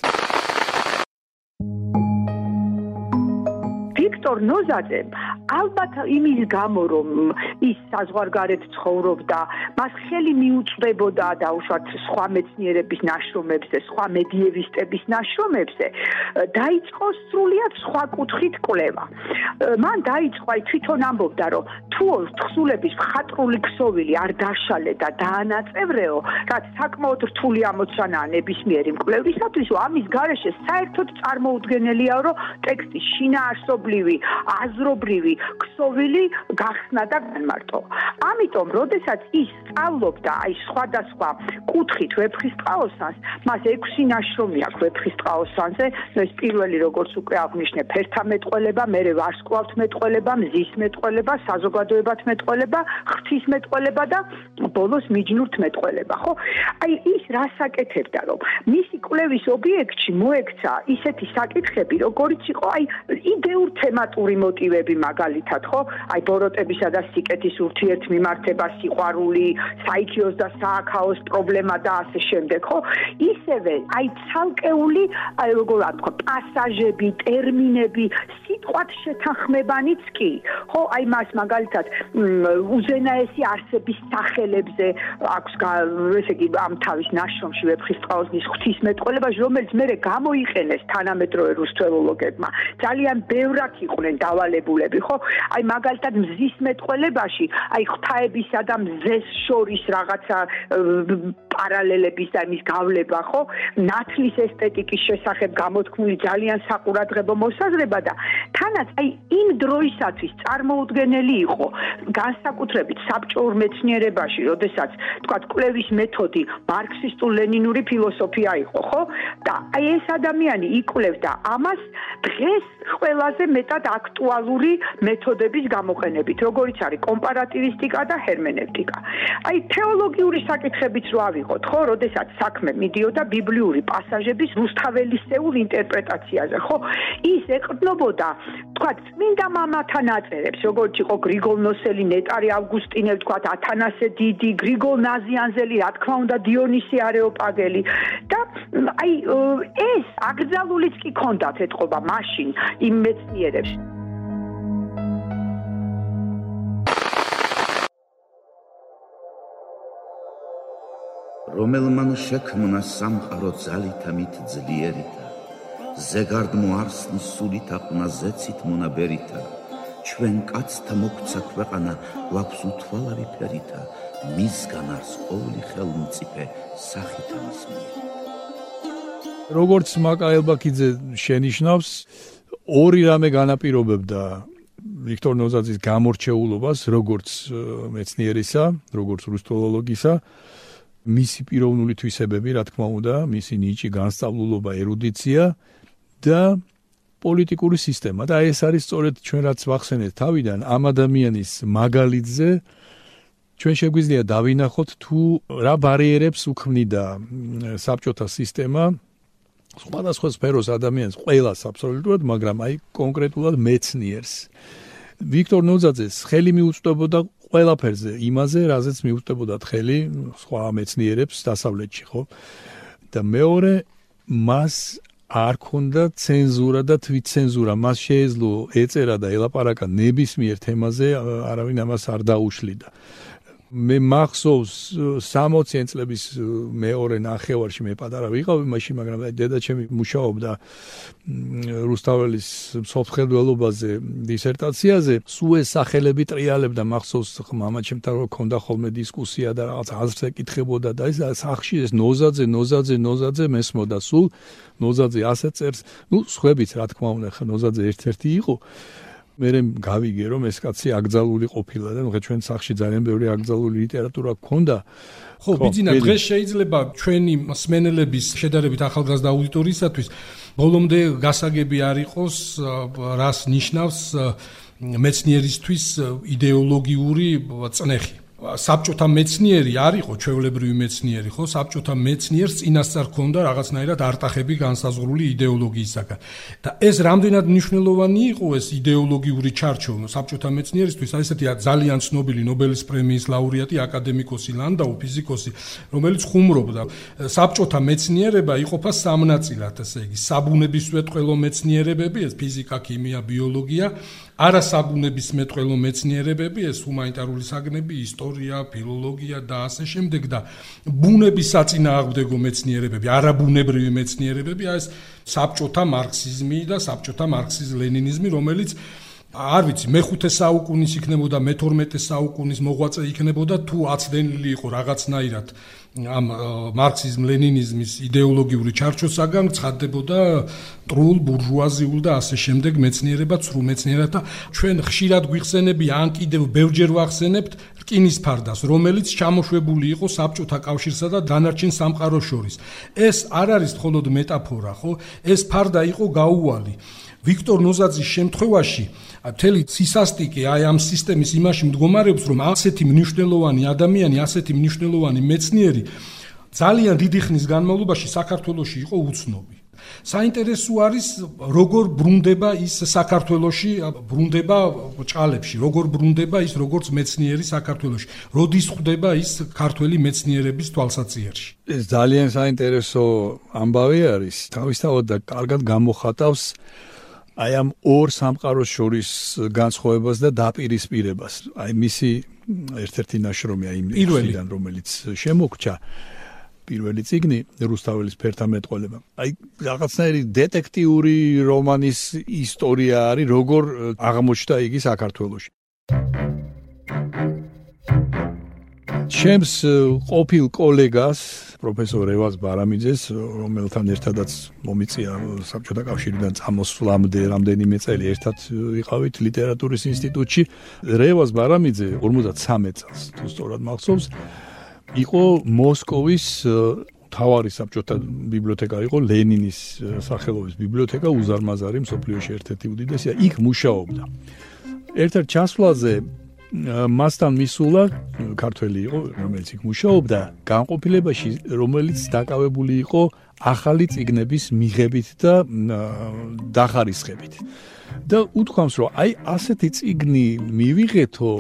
Speaker 6: ვიქტორ ნოზაძე ალბათ იმის გამო რომ ის საზღვარგარეთ ცხოვრობდა, მას ხელი მიუწვდებოდა დაუშვათ სხვა მეცნიერების ნაშრომებზე, სხვა მედიევისტების ნაშრომებზე, დაიწყო სრულიად სხვა კუთხით კვლევა. მან დაიწყო აი თვითონ ამბობდა, რომ თუ თხზულების მხატვრული ქსოვილი არ დაშალე და დაანაწევრეო, რაც საკმაოდ რთული ამოცანაა ნებისმიერი მკვლევრისათვის, ამის გარეშე საერთოდ წარმოუდგენელია, რომ ტექსტის შინაარსობრივი, აზრობრივი ქსოვილი გახსნა და განმარტო. ამიტომ, როდესაც ის სწავლობდა აი სხვადასხვა კუთხით ვეფხისტყაოსანს, მას 6 ნაშრომი აქვს ვეფხისტყაოსანზე, ეს პირველი როგორც უკვე აღნიშნე, ფერთა მეტყველება, მერე ვარსკვლავთ მეტყველება, მზის მეტყველება, საზოგადოებათ მეტყველება, ღვთის მეტყველება და ბოლოს მიჯნურთ მეტყველება, ხო? აი ის რას აკეთებდა, რომ მისი კვლევის ობიექტში მოექცა ისეთი საკითხები, როგორიც იყო აი იდეურ თემატური მოტივები მაგალითად, ხო? აი ბოროტებისა და სიკეთის ურთიერთმიმართება, სიყვარული, საიქიოს და სააქაოს პრობლემა და ასე შემდეგ, ხო? ისევე აი ცალკეული, აი როგორ ვთქვა, პასაჟები, ტერმინები, სიტყვათ შეთანხმებანიც კი, ხო? აი მას მაგალითად უზენაესი არსების სახელებზე აქვს ესე იგი ამ თავის ნაშრომში ვეფხისტყაოსნის ღვთისმეტყველებაში, რომელიც მერე გამოიყენეს თანამედროვე რუსთველოლოგებმა. ძალიან ბევრად იყვნენ დავალებულები, ხო? აი მაგალითად მზის მეტყველებაში, აი ღვთაებისა და მზეს შორის რაღაცა პარალელების და იმის გავლება, ხო? ნათლის ესთეტიკის შესახებ გამოთქმული ძალიან საყურადღებო მოსაზრება და თანაც აი იმ დროისათვის წარმოუდგენელი იყო, განსაკუთრებით საბჭოურ მეცნიერებაში, როდესაც თქვათ კვლევის მეთოდი მარქსისტულ-ლენინური ფილოსოფია იყო, ხო? და აი ეს ადამიანი იკვლევდა ამას დღეს ყველაზე მეტად აქტუალური მეთოდების გამოყენებით, როგორიც არის კომპარატივისტიკა და ჰერმენევტიკა. აი თეოლოგიური საკითხებიც რო ავიღოთ, ხო, როდესაც საქმე მიდიოდა ბიბლიური პასაჟების რუსთაველისეულ ინტერპრეტაციაზე, ხო? ის ეყრდნობოდა, თქვათ, წმინდა მამათა ნაწერებს, როგორც იყო გრიგოლ ნოსელი, ნეტარი ავგუსტინე, თქვათ, ათანასე დიდი, გრიგოლ ნაზიანზელი, რა თქმა უნდა, დიონისი არეოპაგელი და აი ეს აკრძალულიც კი ქონდათ ეთყობა მაშინ იმ მეცნიერებს.
Speaker 7: რომელმან შექმნა სამყარო ძალითა მით ძლიერითა, ზეგარდ მოარსნის სულითა ყნა ზეცით მონაბერითა, ჩვენ კაცთა მოგცა ქვეყანა გვაქვს უთვალავი ფერითა, მისგან არს ყოველი ხელმწიფე სახითა მისმი.
Speaker 1: როგორც მაკა ელბაქიძე შენიშნავს, ორი რამე განაპირობებდა ვიქტორ ნოზაძის გამორჩეულობას, როგორც მეცნიერისა, როგორც რუსთველოლოგისა, მისი პიროვნული თვისებები, რა თქმა უნდა, მისი ნიჭი, განსწავლულობა, ერუდიცია და პოლიტიკური სისტემა. და ეს არის სწორედ ჩვენ რაც ვახსენეთ თავიდან, ამ ადამიანის მაგალითზე ჩვენ შეგვიძლია დავინახოთ თუ რა ბარიერებს უქმნიდა საბჭოთა სისტემა სხვადასხვა სფეროს ადამიანს, ყველას აბსოლუტურად, მაგრამ აი კონკრეტულად მეცნიერს. ვიქტორ ნოზაძეს ხელი მიუწვდებოდა ყველაფერზე, იმაზე, რაზეც მიუწვდებოდა ხელი სხვა მეცნიერებს დასავლეთში, ხო? და მეორე, მას არ ქონდა ცენზურა და თვითცენზურა, მას შეეძლო ეწერა და ელაპარაკა ნებისმიერ თემაზე, არავინ ამას არ დაუშლიდა. მე მახსოვს 60 წლების მეორე ნახევარში მე პატარა ვიყავი მაშინ, მაგრამ დედაჩემი მუშაობდა რუსთაველის მსოფლმხედველობაზე დისერტაციაზე, სულ ეს სახელები ტრიალებდა, მახსოვს მამაჩემთან რომ ქონდა ხოლმე დისკუსია და რაღაც აზრს ეკითხებოდა და ეს სახში ეს ნოზაძე მესმოდა სულ, ნოზაძე ასე წერს, ნუ სხვებიც რა თქმა უნდა, ხა ნოზაძე ერთ-ერთი იყო. მე გავიგე რომ ეს კაცი აკრძალული ყოფილა და ნუ ჩვენ სახში ძალიან ბევრი აკრძალული ლიტერატურა გქონდა.
Speaker 2: ხო, ბიძინა, დღეს შეიძლება ჩვენი მსმენელების შედარებით ახალგაზრდა აუდიტორიისათვის ბოლომდე გასაგები არ იყოს, რას ნიშნავს მეცნიერისთვის იდეოლოგიური წნეხი. საბჭოთა მეცნიერი არ იყო ჩვეულებრივი მეცნიერი, ხო? საბჭოთა მეცნიერს წინასწარ ჰქონდა რაღაცნაირად არტახები განსაზღვრული იდეოლოგიისაგან. და ეს რამდენად მნიშვნელოვანი იყო ეს იდეოლოგიური ჩარჩო საბჭოთა მეცნიერისთვის, აი ესეთი ძალიან ცნობილი ნობელის პრემიის ლაურეატი აკადემიკოსი ლანდაუ, ფიზიკოსი, რომელიც ხუმრობდა საბჭოთა მეცნიერება იყოფა სამ ნაწილად, ესე იგი, საბუნებისმეტყველო მეცნიერებები, ეს ფიზიკა, ქიმია, ბიოლოგია, არასაბუნებისმეტყველო მეცნიერებები, ეს ჰუმანიტარული საგნები, ისტორია, ფილოლოგია და ასე შემდეგ და ბუნების საწინააღმდეგო მეცნიერებები, არაბუნებრივი მეცნიერებები, ეს საბჭოთა მარქსიზმი და საბჭოთა მარქსიზ-ლენინიზმი, რომელიც არ ვიცი, მე-5 საუკუნის იქნებოდა, მე-12 საუკუნის მოღვაწე იქნებოდა, თუ აცდენილი იყო რაღაცნაირად ამ მარქსიზმ-ლენინიზმის იდეოლოგიური ჩარჩოსაგან, ცხადდებოდა მტრულ, ბურჟუაზიულ და ასე შემდეგ მეცნიერება, ცრუ მეცნიერება და ჩვენ ხშირად გვიხსენებია, ან კიდევ ბევრჯერ ვახსენებთ რკინის ფარდას, რომელიც ჩამოშვებული იყო საბჭოთა კავშირსა და დანარჩენ სამყაროს შორის. ეს არ არის მხოლოდ მეტაფორა, ხო? ეს ფარდა იყო გაუვალი. ვიქტორ ნოზაძის შემთხვევაში მთელი სისასტიკე აი ამ სისტემის იმაში მდგომარეობს, რომ ასეთი მნიშვნელოვანი ადამიანი, ასეთი მნიშვნელოვანი მეცნიერი ძალიან დიდი ხნის განმავლობაში საქართველოში იყო უცნობი. საინტერესო არის, როგორ ბრუნდება ის საქართველოში, ბრუნდება ჭალებში, როგორ ბრუნდება ის როგორც მეცნიერი საქართველოში, როდის ხვდება ის ქართველი მეცნიერების თვალსაჩინოში.
Speaker 1: ეს ძალიან საინტერესო ამბავი არის, თავისთავად და კარგად გამოხატავს აი ამ ორ სამყაროს შორის განსხვავებას და დაპირისპირებას. აი მისი ერთ-ერთი ნაშრომი აი პირველიდან, რომელიც შემოგჭა პირველი წიგნი რუსთაველის ფერთა მეტყველება. აი რაღაცნაირი დეტექტიური რომანის ისტორია არის, როგორ აღმოჩნდა იგი საქართველოში. ჩემს ყოფილ კოლეგას პროფესორ რევაზ ბარამიძეს, რომელთან ერთადაც მომიწია საბჭოთა კავშირიდან წამოსვლამდე რამდენიმე წელი ერთად ვიყავით ლიტერატურის ინსტიტუტში. რევაზ ბარამიძე 53 წელს, თუ სწორად მახსოვს, იყო მოსკოვის თავარი საბჭოთა ბიბლიოთეკა, იყო ლენინის სახელობის ბიბლიოთეკა, უზარმაზარი მსოფლიოში ერთ-ერთი უდიდესია, იქ მუშაობდა. ერთ-ერთ ჩასვლაზე მასთან მისულა ქართველი იყო, რომელიც იქ მუშაობდა, განყოფილებაში, რომელიც დაკავებული იყო ახალი წიგნების მიღებით და დახარისხებით. და უთქვამს, რომ აი ასეთი წიგნი მივიღეთო,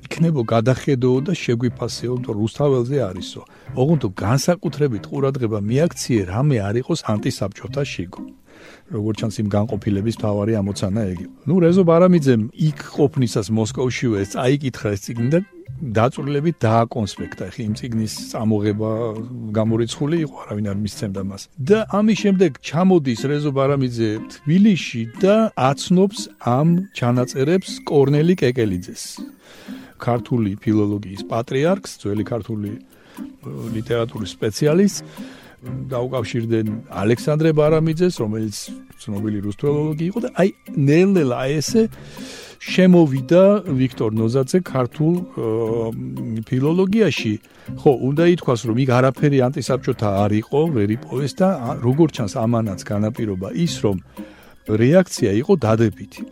Speaker 1: იქნებო გადახედო და შეგვიფასეო, რომ რუსთაველზე არისო. ოღონდ განსაკუთრებით ყურადღება მიაქციე, რამე არ იყოს ანტისაბჭოთა შიგო. როგორც ჩანს იმ განყოფილების მთავარი ამოცანა ეგ. ნუ რეზო ბარამიძემ იქ ყოფნისას მოსკოვშივე ეს წაიკითხა ეს წიგნი და დაწვრილებით დააკონსპექტა. ხი იმ წიგნის წამოღება გამორიცხული იყო, არავინ არ მისცემდა მას. და ამის შემდეგ ჩამოდის რეზო ბარამიძე თბილისში და აცნობს ამ ჩანაწერებს კორნელი კეკელიძეს. ქართული ფილოლოგიის პატრიარქს, ძველი ქართული ლიტერატურის სპეციალისტს. დაუკავშირდნენ ალექსანდრე ბარამიძეს, რომელიც ცნობილი რუსთველოლოგი იყო და აი ნელ-ნელა აი ესე შემოვიდა ვიქტორ ნოზაძე ქართულ ფილოლოგიაში. ხო, უნდა ითქვას, რომ იქ არაფერი ანტისაბჭოთა არ იყო, ვერ იპოვეს და როგორც ჩანს ამანაც განაპირობა ის, რომ რეაქცია იყო დადებითი.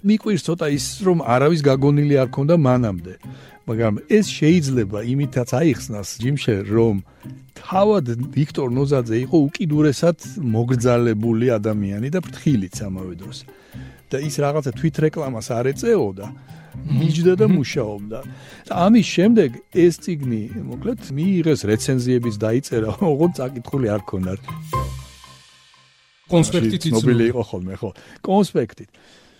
Speaker 1: მიკვირს ცოტა ის, რომ არავის გაგონილი არ ქონდა მანამდე. მაგრამ ეს შეიძლება იმითაც აიხსნას ჯიმშე, რომ თავად ვიქტორ ნოზაძე იყო უკიდურესად მოგრძალებული ადამიანი და ფრთხილიც ამავე დროს. და ის რაღაცა თვითრეკლამას არ ეწეოდა, მიჯდა და მუშაობდა. და ამის შემდეგ ეს წიგნი, მოკლედ, მიიღეს რეცენზიებიც დაიწერა, ოღონდ წაკითხული არ ქონდა.
Speaker 2: კონსპექტით
Speaker 1: ცნობილი იყო ხოლმე, ხო, კონსპექტით.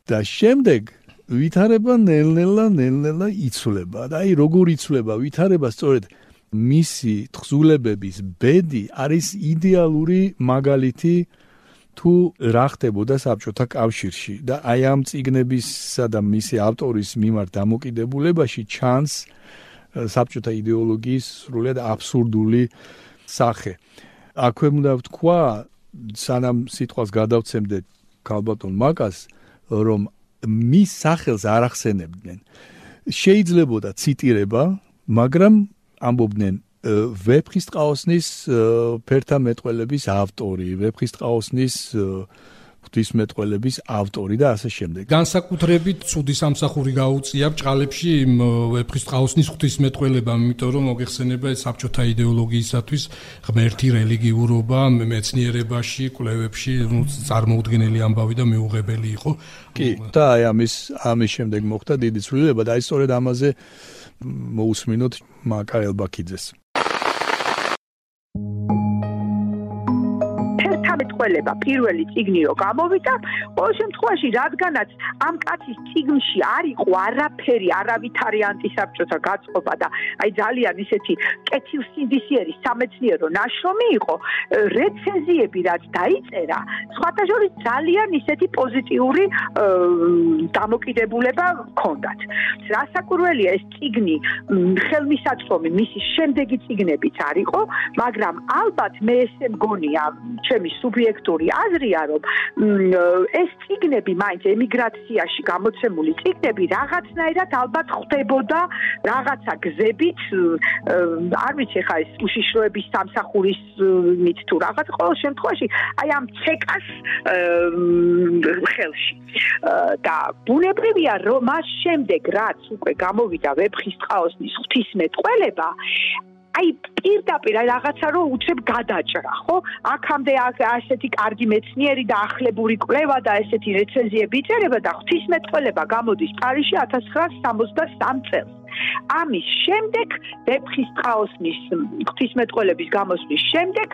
Speaker 1: და შემდეგ ვითარება ნელ-ნელა იცვლება. და აი როგორ იცვლება ვითარება, სწორედ მისი თხზულებების ბედი არის იდეალური მაგალითი თუ რა ხდებოდა საბჭოთა კავშირში და აი ამ წიგნებისა და მისი ავტორის მიმართ დამოკიდებულებაში ჩანს საბჭოთა იდეოლოგიის სრულიად აბსურდული სახე. აქვე უნდა ვთქვა, სანამ სიტყვას გადავცემდე ქალბატონ მაკას, რომ მის სახელს არ ახსენებდნენ. შეიძლებოდა ციტირება, მაგრამ ამბობდნენ ვეფხისტყაოსნის ფერთა მეტყველების ავტორი, ვეფხისტყაოსნის ღვთისმეტყველების ავტორი და ასე შემდეგ.
Speaker 2: განსაკუთრებით ცუდი სამსახური გაუწია ბჭყალებში ვეფხისტყაოსნის ღვთისმეტყველება, იმიტომ რომ მოგეხსენება ეს საბჭოთა იდეოლოგიისათვის ღმერთი რელიგიურობა მეცნიერებაში, კვლევებში წარმოუდგენელი ამბავი და მიუღებელი იყო.
Speaker 1: კი, და აი ამის შემდეგ მოხდა დიდი ცვლილება და აი სწორედ ამაზე მოусმინოთ მაკარ ელბაქიძეს.
Speaker 6: მეტყველება პირველი წიგნი რო გამოვიდა, ყოველ შემთხვევაში რადგანაც ამ კაცის წიგნში არ იყო არაფერი, არავითარი ანტისაბჭოთა გაწყობა და აი ძალიან ისეთი კეთილსინდისიერი სამეცნიერო ნაშრომი იყო, რეცენზიები რაც დაიწერა, სხვათა შორის ძალიან ისეთი პოზიტიური დამოკიდებულება ჰქონდათ. რასაკვირველია, ეს წიგნი ხელმისაწვდომი მისი შემდეგი წიგნებიც არ იყო, მაგრამ ალბათ მე ესე მგონია, ჩემი სუბიექტური აზრია, რომ ეს წიგნები მაინც ემიგრაციაში გამოცემული წიგნები რაღაცნაირად ალბათ ხდებოდა რაღაცა გზებით, არ ვიცი ხა ეს უშიშროების სამსახურის მით თუ რაღაც, ყოველ შემთხვევაში აი ამ ცეკას ხელში. და ბუნებრივია, რომ მას შემდეგ რაც უკვე გამოვიდა ვეფხისტყაოსნის ღვთისმეტყველება, აი პირდაპირ რაღაცა რო უცებ გადაჭრა, ხო? აქამდე ასეთი კარგი მეცნიერი და ახლებური კვლევა და ესეთი რეცენზიები იწერება და ღვთისმეტყველება გამოდის პარიზში 1963 წელს. ამის შემდეგ ვეფხისტყაოსნის ღვთისმეტყველების გამოსვლის შემდეგ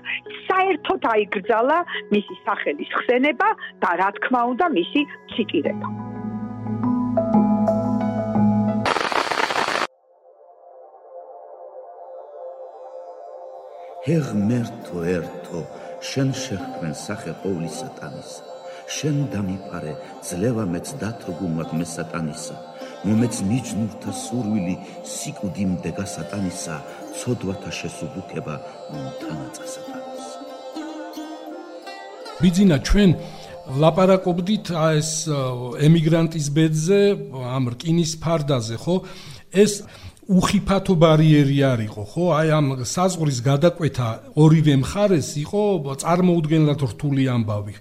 Speaker 6: საერთოდ აიგრძალა მისი სახელის ხსენება და რა თქმა უნდა მისი ციტირება.
Speaker 7: ღმერთო ერთო, შენ შეხვენ სახე ყოვლი სატანისა, შენ დამიფარე ძლევა მეც დათრგუნვად მე სატანისა, მომეც მიჯნურთა სურვილი სიკვდი მდეგა სატანისა, ცოდვათა შესუბუქება თანაწა სატანისა.
Speaker 2: ბიძინა, ჩვენ ვლაპარაკობდით ეს ემიგრანტის ბედზე, ამ რკინის ფარდაზე, ხო? ეს უხიფათო ბარიერი არ იყო, ხო? აი ამ საზღვრის გადაკვეთა ორივე მხარეს იყო წარმოუდგენლად რთული ამბავი,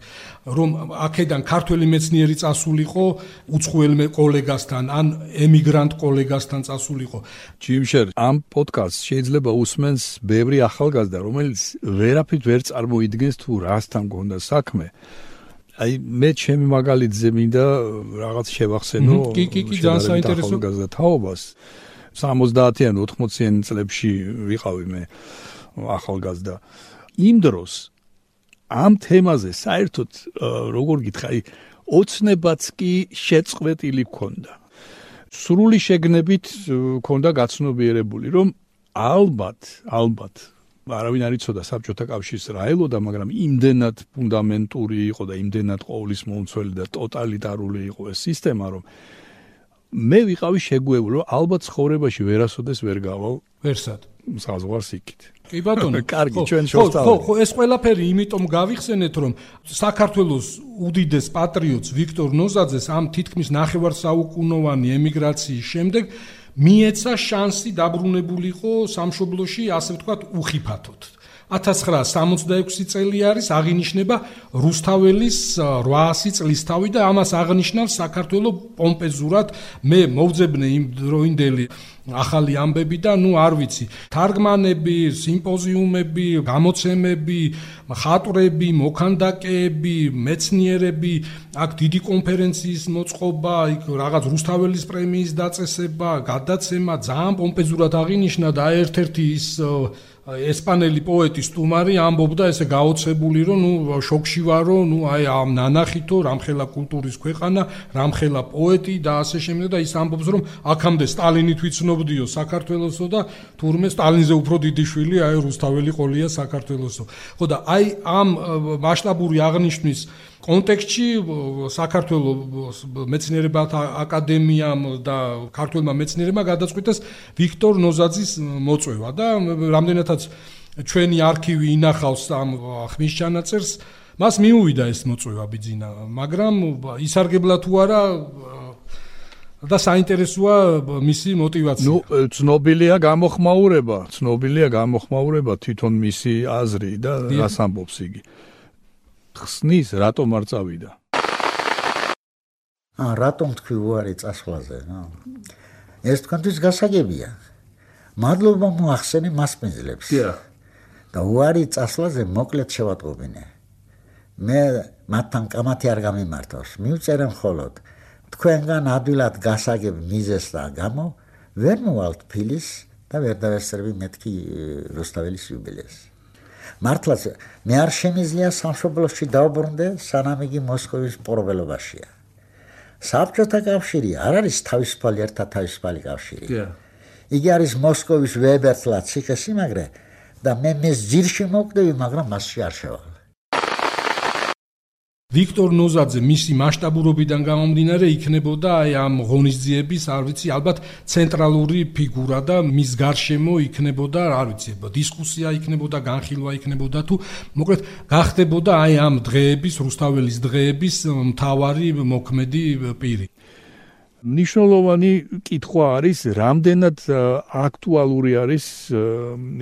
Speaker 2: რომ აქედან ქართველი მეცნიერი წასულიყო უცხოელ კოლეგასთან, ან ემიგრანტ კოლეგასთან წასულიყო.
Speaker 1: ჯიმშერ, ამ პოდკასტს შეიძლება უსმენს ბევრი ახალგაზრდა, რომელიც ვერაფრით ვერ წარმოიდგენს თუ რასთან გონდა საქმე. აი მე ჩემი მაგალითზე მინდა რაღაც შევახსენო.
Speaker 2: კი, ძალიან საინტერესო
Speaker 1: ახალგაზრდა თაობას. 70-იან 80-იან წლებში ვიყავი მე ახალგაზრდა. იმ დროს ამ თემაზე საერთოდ როგორ გითხრა, ოცნებაც კი შეწყვეტილი ქონდა. სრული შეგნებით ქონდა გაცნობიერებული, რომ ალბათ არავინ არ იცოდა საბჭოთა კავშირის რა ელოდა, მაგრამ იმდენად ფუნდამენტური იყო და იმდენად ყოვლის მომცველი და ტოტალიტარული იყო ეს სისტემა, რომ მე ვიყავი შეგუებული, რომ ალბათ ცხოვრებაში ვერასოდეს ვერ გავალ
Speaker 2: ვერსად
Speaker 1: საზღვარს იქით.
Speaker 2: კი ბატონო,
Speaker 1: კარგი, ჩვენ შევსწავლეთ.
Speaker 2: ხო, ეს ყველაფერი იმიტომ გავიხსენეთ, რომ საქართველოს უდიდეს პატრიოტს ვიქტორ ნოზაძეს ამ თითქმის ნახევარსაუკუნოვანი ემიგრაციის შემდეგ მიეცა შანსი დაბრუნებულიყო სამშობლოში, ასე ვთქვათ, უხიფათოდ. 1966 წელი არის, აღინიშნება რუსთაველის 800 წლისთავი და ამას აღნიშნავს საქართველოს პომპეზურად. მე მოვძებნე იმ დროინდელი ახალი ამბები და არ ვიცი, თარგმანები, სიმპოზიუმები, გამოცემები, მხატვრები, მოქანდაკეები, მეცნიერები, აქ დიდი კონფერენციის მოწყობა, იქ რაღაც რუსთაველის პრემიის დაწესება, გადაცემა, ძალიან პომპეზურად აღინიშნა და ერთ-ერთი ის ესპანელი პოეტი სტუმარი ამბობდა ესე გაოცებული, რომ შოკში ვარო, აი ამ ნანახითო, რამხელა კულტურის ქვეყანა, რამხელა პოეტი და ასე შემდეგ და ის ამბობს, რომ აქამდე სტალინით ვიცნობდიო საქართველოსო და თურმე სტალინზე უფრო დიდი შვილი აი რუსთაველი ყოლია საქართველოსო. ხო და აი ამ მასშტაბური აღნიშვნის კონტექსტში საქართველოს მეცნიერებათა აკადემიამ და ქართველმა მეცნიერებმა გადაწყვიტეს ვიქტორ ნოზაძის მოწვევა და რამდენადაც ჩვენი არქივი ინახავს ამ ხმის ჩანაწერს, მას მიუვიდა ეს მოწვევა ბიძინა, მაგრამ ისარგებლა თუ არა და საინტერესოა მისი мотиваცია.
Speaker 1: ცნობილია გამოხმაურება თვითონ მისი აზრი და რას ამბობს იგი. ხსნის, რატომ არ წავიდა?
Speaker 5: რატომ თქვი უარი წასვლაზე? ეს თქვენთვის გასაგებია. მადლობა მოახსენე მასპინძლებს. და უარი წასვლაზე მოკლედ შევატყობინე. მე მათთან კამათი არ გამიმართავს. მივწერე მხოლოდ თქვენგან ადვილად გასაგებ მიზეს და გამო ვერ მოვალთ ფილის და ვერ დავესწრები მეთქი რუსთაველის იუბილეს. მართლაც მე არ შემიძლია სამშობლოში დავბრუნდე, სანამ იგი მოსკოვის პორბელობაშია. საბჭოთა კავშირი არ არის თავისუფალი ერთადთავისუფალი კავშირი. იგი არის მოსკოვის ვებერთლა ციხესიმაგრე და მე მის ძირში მოვკვდები, მაგრამ მასში არ შევალ.
Speaker 2: ვიქტორ ნოზაძე მისი მასშტაბურობიდან გამომდინარე იქნებოდა აი ამ ღონისძიების, არ ვიცი, ალბათ ცენტრალური ფიგურა და მის გარშემო იქნებოდა, არ ვიცი, დისკუსია იქნებოდა, განხილვა იქნებოდა თუ მოკლედ გახდებოდა აი ამ დღეების, რუსთაველის დღეების მთავარი მოქმედი პირი.
Speaker 1: მნიშვნელოვანი კითხვა არის, რამდენად აქტუალური არის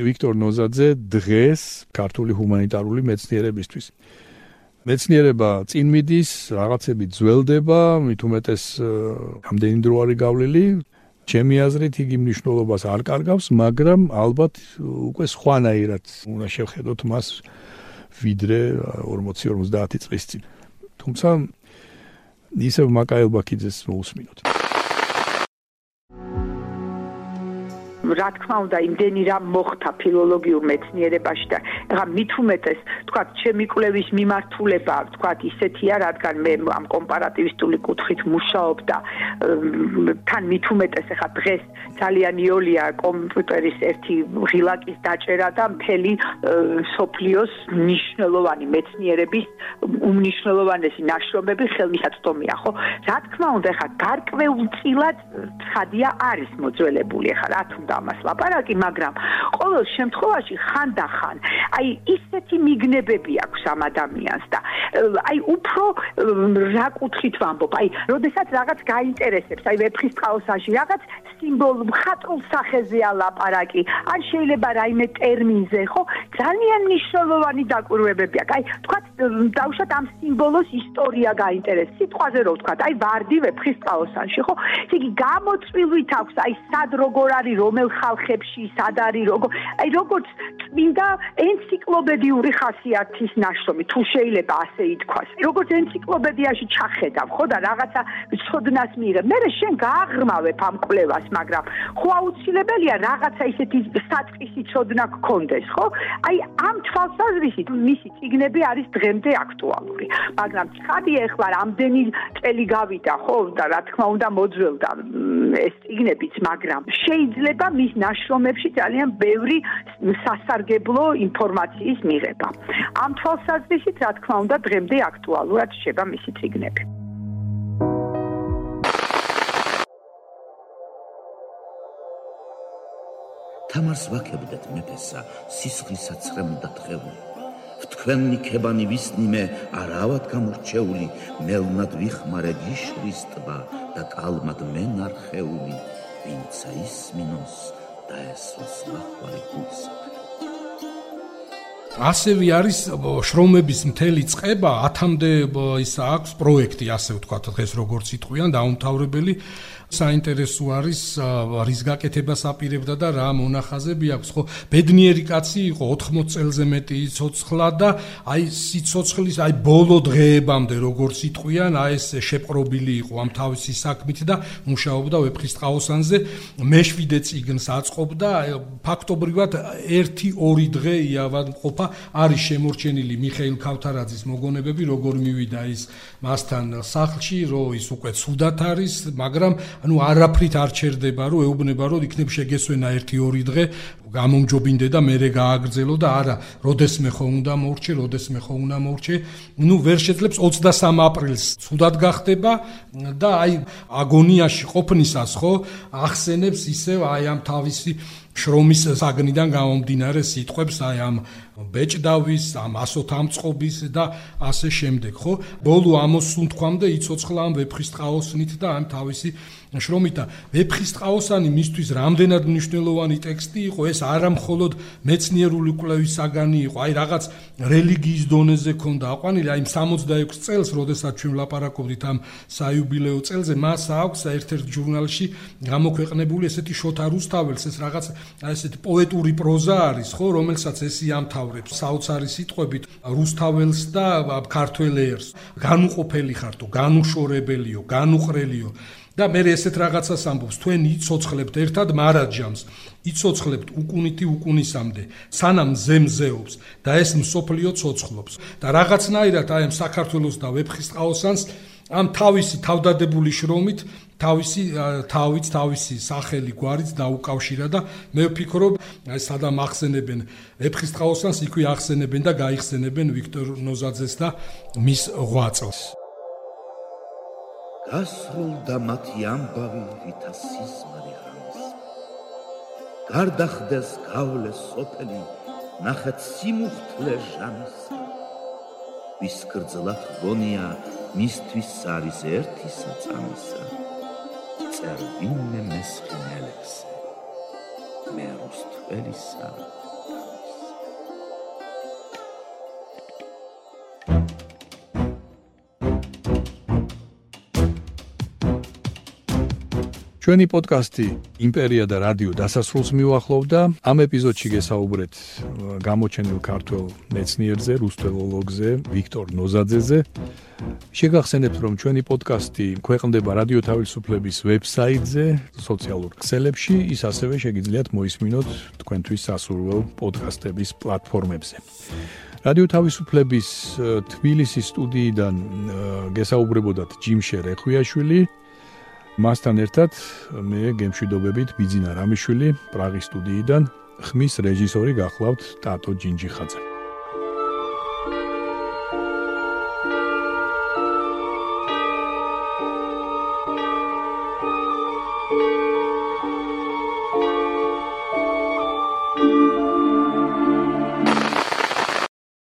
Speaker 1: ვიქტორ ნოზაძე დღეს ქართული ჰუმანიტარული მეცნიერებისთვის. მეცნიერება წინ მიდის, რაღაცები ძველდება, მით უმეტეს რამდენი დრო არის გავლილი. ჩემი აზრით იგი მნიშვნელობას არ კარგავს, მაგრამ ალბათ უკვე სხვანაირად უნდა შევხედოთ მას ვიდრე 40-50 წლის წინ. თუმცა ისევ მაკაელ ბაქიძეს მოусმინოთ.
Speaker 6: რა თქმა უნდა, იმდენი რამ მოხდა ფილოლოგიურ მეცნიერებაში და ეხლა მით უმეტეს, თქვათ, ჩემი კვლევის მიმართულება, თქვათ, ისეთია, რადგან მე ამ კომპარატივისტული კუთხით მუშაობ და თან მით უმეტეს, ეხლა დღეს ძალიან იოლია კომპიუტერის ერთი ღილაკის დაჭერა და მთელი სოფლიოს მნიშვნელოვანი მეცნიერების უმნიშვნელოვანესი ნაშრომები ხელმისაწვდომია, ხო? რა თქმა უნდა, ეხლა გარკვეულწილად ცხადია არის მოძველებული, ეხლა რა თქმა უნდა ამას ლაპარაკი, მაგრამ ყოველ შემთხვევაში ხანდახან აი ისეთი მიგნებები აქვს ამ ადამიანს და აი უფრო რა კუთხით ვამბობ, აი როდესაც რაღაც გაინტერესებს, აი ვეფხისტყაოსანში რაღაც სიმბოლო მხატვრულ სახეზეა ლაპარაკი, ან შეიძლება რაიმე ტერმინზე, ხო? ძალიან მნიშვნელოვანი დაკვირვებები აქვს. აი თქვათ დავუშვათ ამ სიმბოლოს ისტორია გაინტერესებს. სიტყვაზე რო ვთქვათ, აი ვარდი ვეფხისტყაოსანში, ხო? იგი გამოწვილვით აქვს, აი სად როგორ არის, რომელ ხალხებში, სად არის, როგორ აი როგორც წმინდა ენციკლოპედიური ხასიათის ნაშრომი, თუ შეიძლება ასე ითქვას. როგორც ენციკლოპედიაში ჩახედავ, ხო და რაღაცა ცოდნას მიიღებ. მე შენ გააღრმავებ ამ კვლევას, მაგრამ ხო აუცილებელია რაღაცა ისეთი საწყისი ცოდნა გქონდეს, ხო? აი ამ თვალსაზრისით მისი წიგნები არის დღემდე აქტუალური. მაგრამ ცხადია ახლა რამდენი წელი გავიდა, ხო და რა თქმა უნდა მოძველდა ეს წიგნებიც, მაგრამ შეიძლება მის ნაშრომებში ძალიან ბევრი სასარგებლო ინფორმაციის მიღება. ამ თვალსაზრისით, რა თქმა უნდა, დღემდე აქტუალურად რჩება მისი წიგნები.
Speaker 7: თამარს ვაქებდეთ მეფესა, სისხლისა ცხრემდა თხეული. ვთქვენი ქებანი ვისნიმე, არავად გამორჩეული, მელნად ვიხმარე გიშრის ტბა და კალმად მენარხეული, ვინცა ისმინოს და ესოს ლახვარი გულსა.
Speaker 2: ასევე არის შრომების მთელი წყება 10-მდე ის აქვს პროექტი, ასე ვთქვათ, დღეს როგორც იტყვიან, დაუმთავრებელი. საინტერესო არის რის გაკეთებას აპირებდა და რა მონახაზები აქვს, ხო? ბედნიერი კაცი იყო, 80 წელზე მეტი ცოცხლა და აი სიცოცხლის აი ბოლო დღეებამდე როგორც იტყვიან, აი ეს შეპყრობილი იყო ამ თავისი საქმით და მუშაობდა ვეფხისტყაოსანზე, მეშვიდე წიგნს აწყობდა, ფაქტობრივად 1-2 დღე იავადმყოფა არის შემორჩენილი მიხეილ ქავთარაძის მოგონებები, როგორ მივიდა ის მასთან სახლში, რომ ის უკვე ცუდად არის, მაგრამ ანუ არაფრით არ ჩერდება, რომ ეუბნება, რომ იქნებ შეგესვენა 1-2 დღე, გამომჯობინდე და მერე გააგრძელო და არა, როდესმე ხო უნდა მორჩე, როდესმე ხო უნდა მორჩე. ნუ ვერ შეძლებს 23 აპრილს ცუდად გახდება და აი აგონიაში ყოფნისას ხო ახსენებს ისევ აი ამ თავისი შრომის საგნიდან გამომდინარე სიტყვებს, აი ამ ბეჭდავის, ამ ასოთამწყობის და ასე შემდეგ, ხო? ბოლო ამოსუნთქვამდე იცოცხლა ამ ვეფხისტყაოსნით და ამ თავისი შრომით და ვეფხისტყაოსანი მისთვის რამდენად მნიშვნელოვანი ტექსტი იყო, ეს არა მხოლოდ მეცნიერული კვლევის საგანი იყო, აი რაღაც რელიგიის დონეზე ქონდა აყვანილი, აი 66 წელს, როდესაც ჩვენ ვლაპარაკობდით ამ საიუბილეო წელზე, მას აქვს ერთ-ერთ ჟურნალში გამოქვეყნებული ესეთი შოთა რუსთაველს, ეს რაღაც ესეთი პოეტური პროზა არის, ხო, რომელსაც ეს იამთავრებს საოცარი სიტყვებით რუსთაველს და ქართველ ერს. განუყოფელი ხართო, განუშორებელიო, განუყრელიო. და მე ესეთ რაღაცას ამბობს, თქვენ იცოცხლებთ ერთად მარაჯამს, იცოცხლებთ უკუნითი უკუნისამდე, სანამ ზემზეობს და ეს მსოფლიო ცოცხლობს. და რაღაცნაირად აი ამ საქართველოს და ვეფხისტყაოსანს ამ თავისი თავდადებული შრომით თავისი სახელი გვარიც დაუკავშირა და მე ვფიქრობ, აი სადამ ახსენებენ ვეფხისტყაოსანს, იქვე ახსენებენ და გაიხსენებენ ვიქტორ ნოზაძეს და მის ღვაწლს.
Speaker 7: გასრულდა მათი ამბავი, ვითა სიზმარი ღამის. გარდახდეს გავლეს სოფელი, ნახეთ სიმუხთლე ჟამის. ვის გრძლად გონია, მისთვის არის ერთი საწამისა. წერვინე მესხინელექსე, მე რუსთველისა.
Speaker 1: ჩვენი პოდკასტი იმპერია და რადიო დასასრულს მიუახლოვდა. ამ ეპიზოდში გესაუბრეთ გამოჩენილ ქართველ მეცნიერზე, რუსთველოლოგზე, ვიქტორ ნოზაძეზე. შეგახსენებთ, რომ ჩვენი პოდკასტი ქვეყნდება რადიო თავისუფლების ვებსაიტზე, სოციალურ ქსელებში, ის ასევე შეგიძლიათ მოისმინოთ თქვენთვის სასურველ პოდკასტების პლატფორმებზე. რადიო თავისუფლების თბილისის სტუდიიდან გესაუბრებოდათ ჯიმშე რეხვიაშვილი. მასთან ერთად მე გემშვიდობებით ბიძინა რამიშვილი პრაღის სტუდიიდან, ხმის რეჟისორი გახლავთ ტატო ჯინჯიხაძე.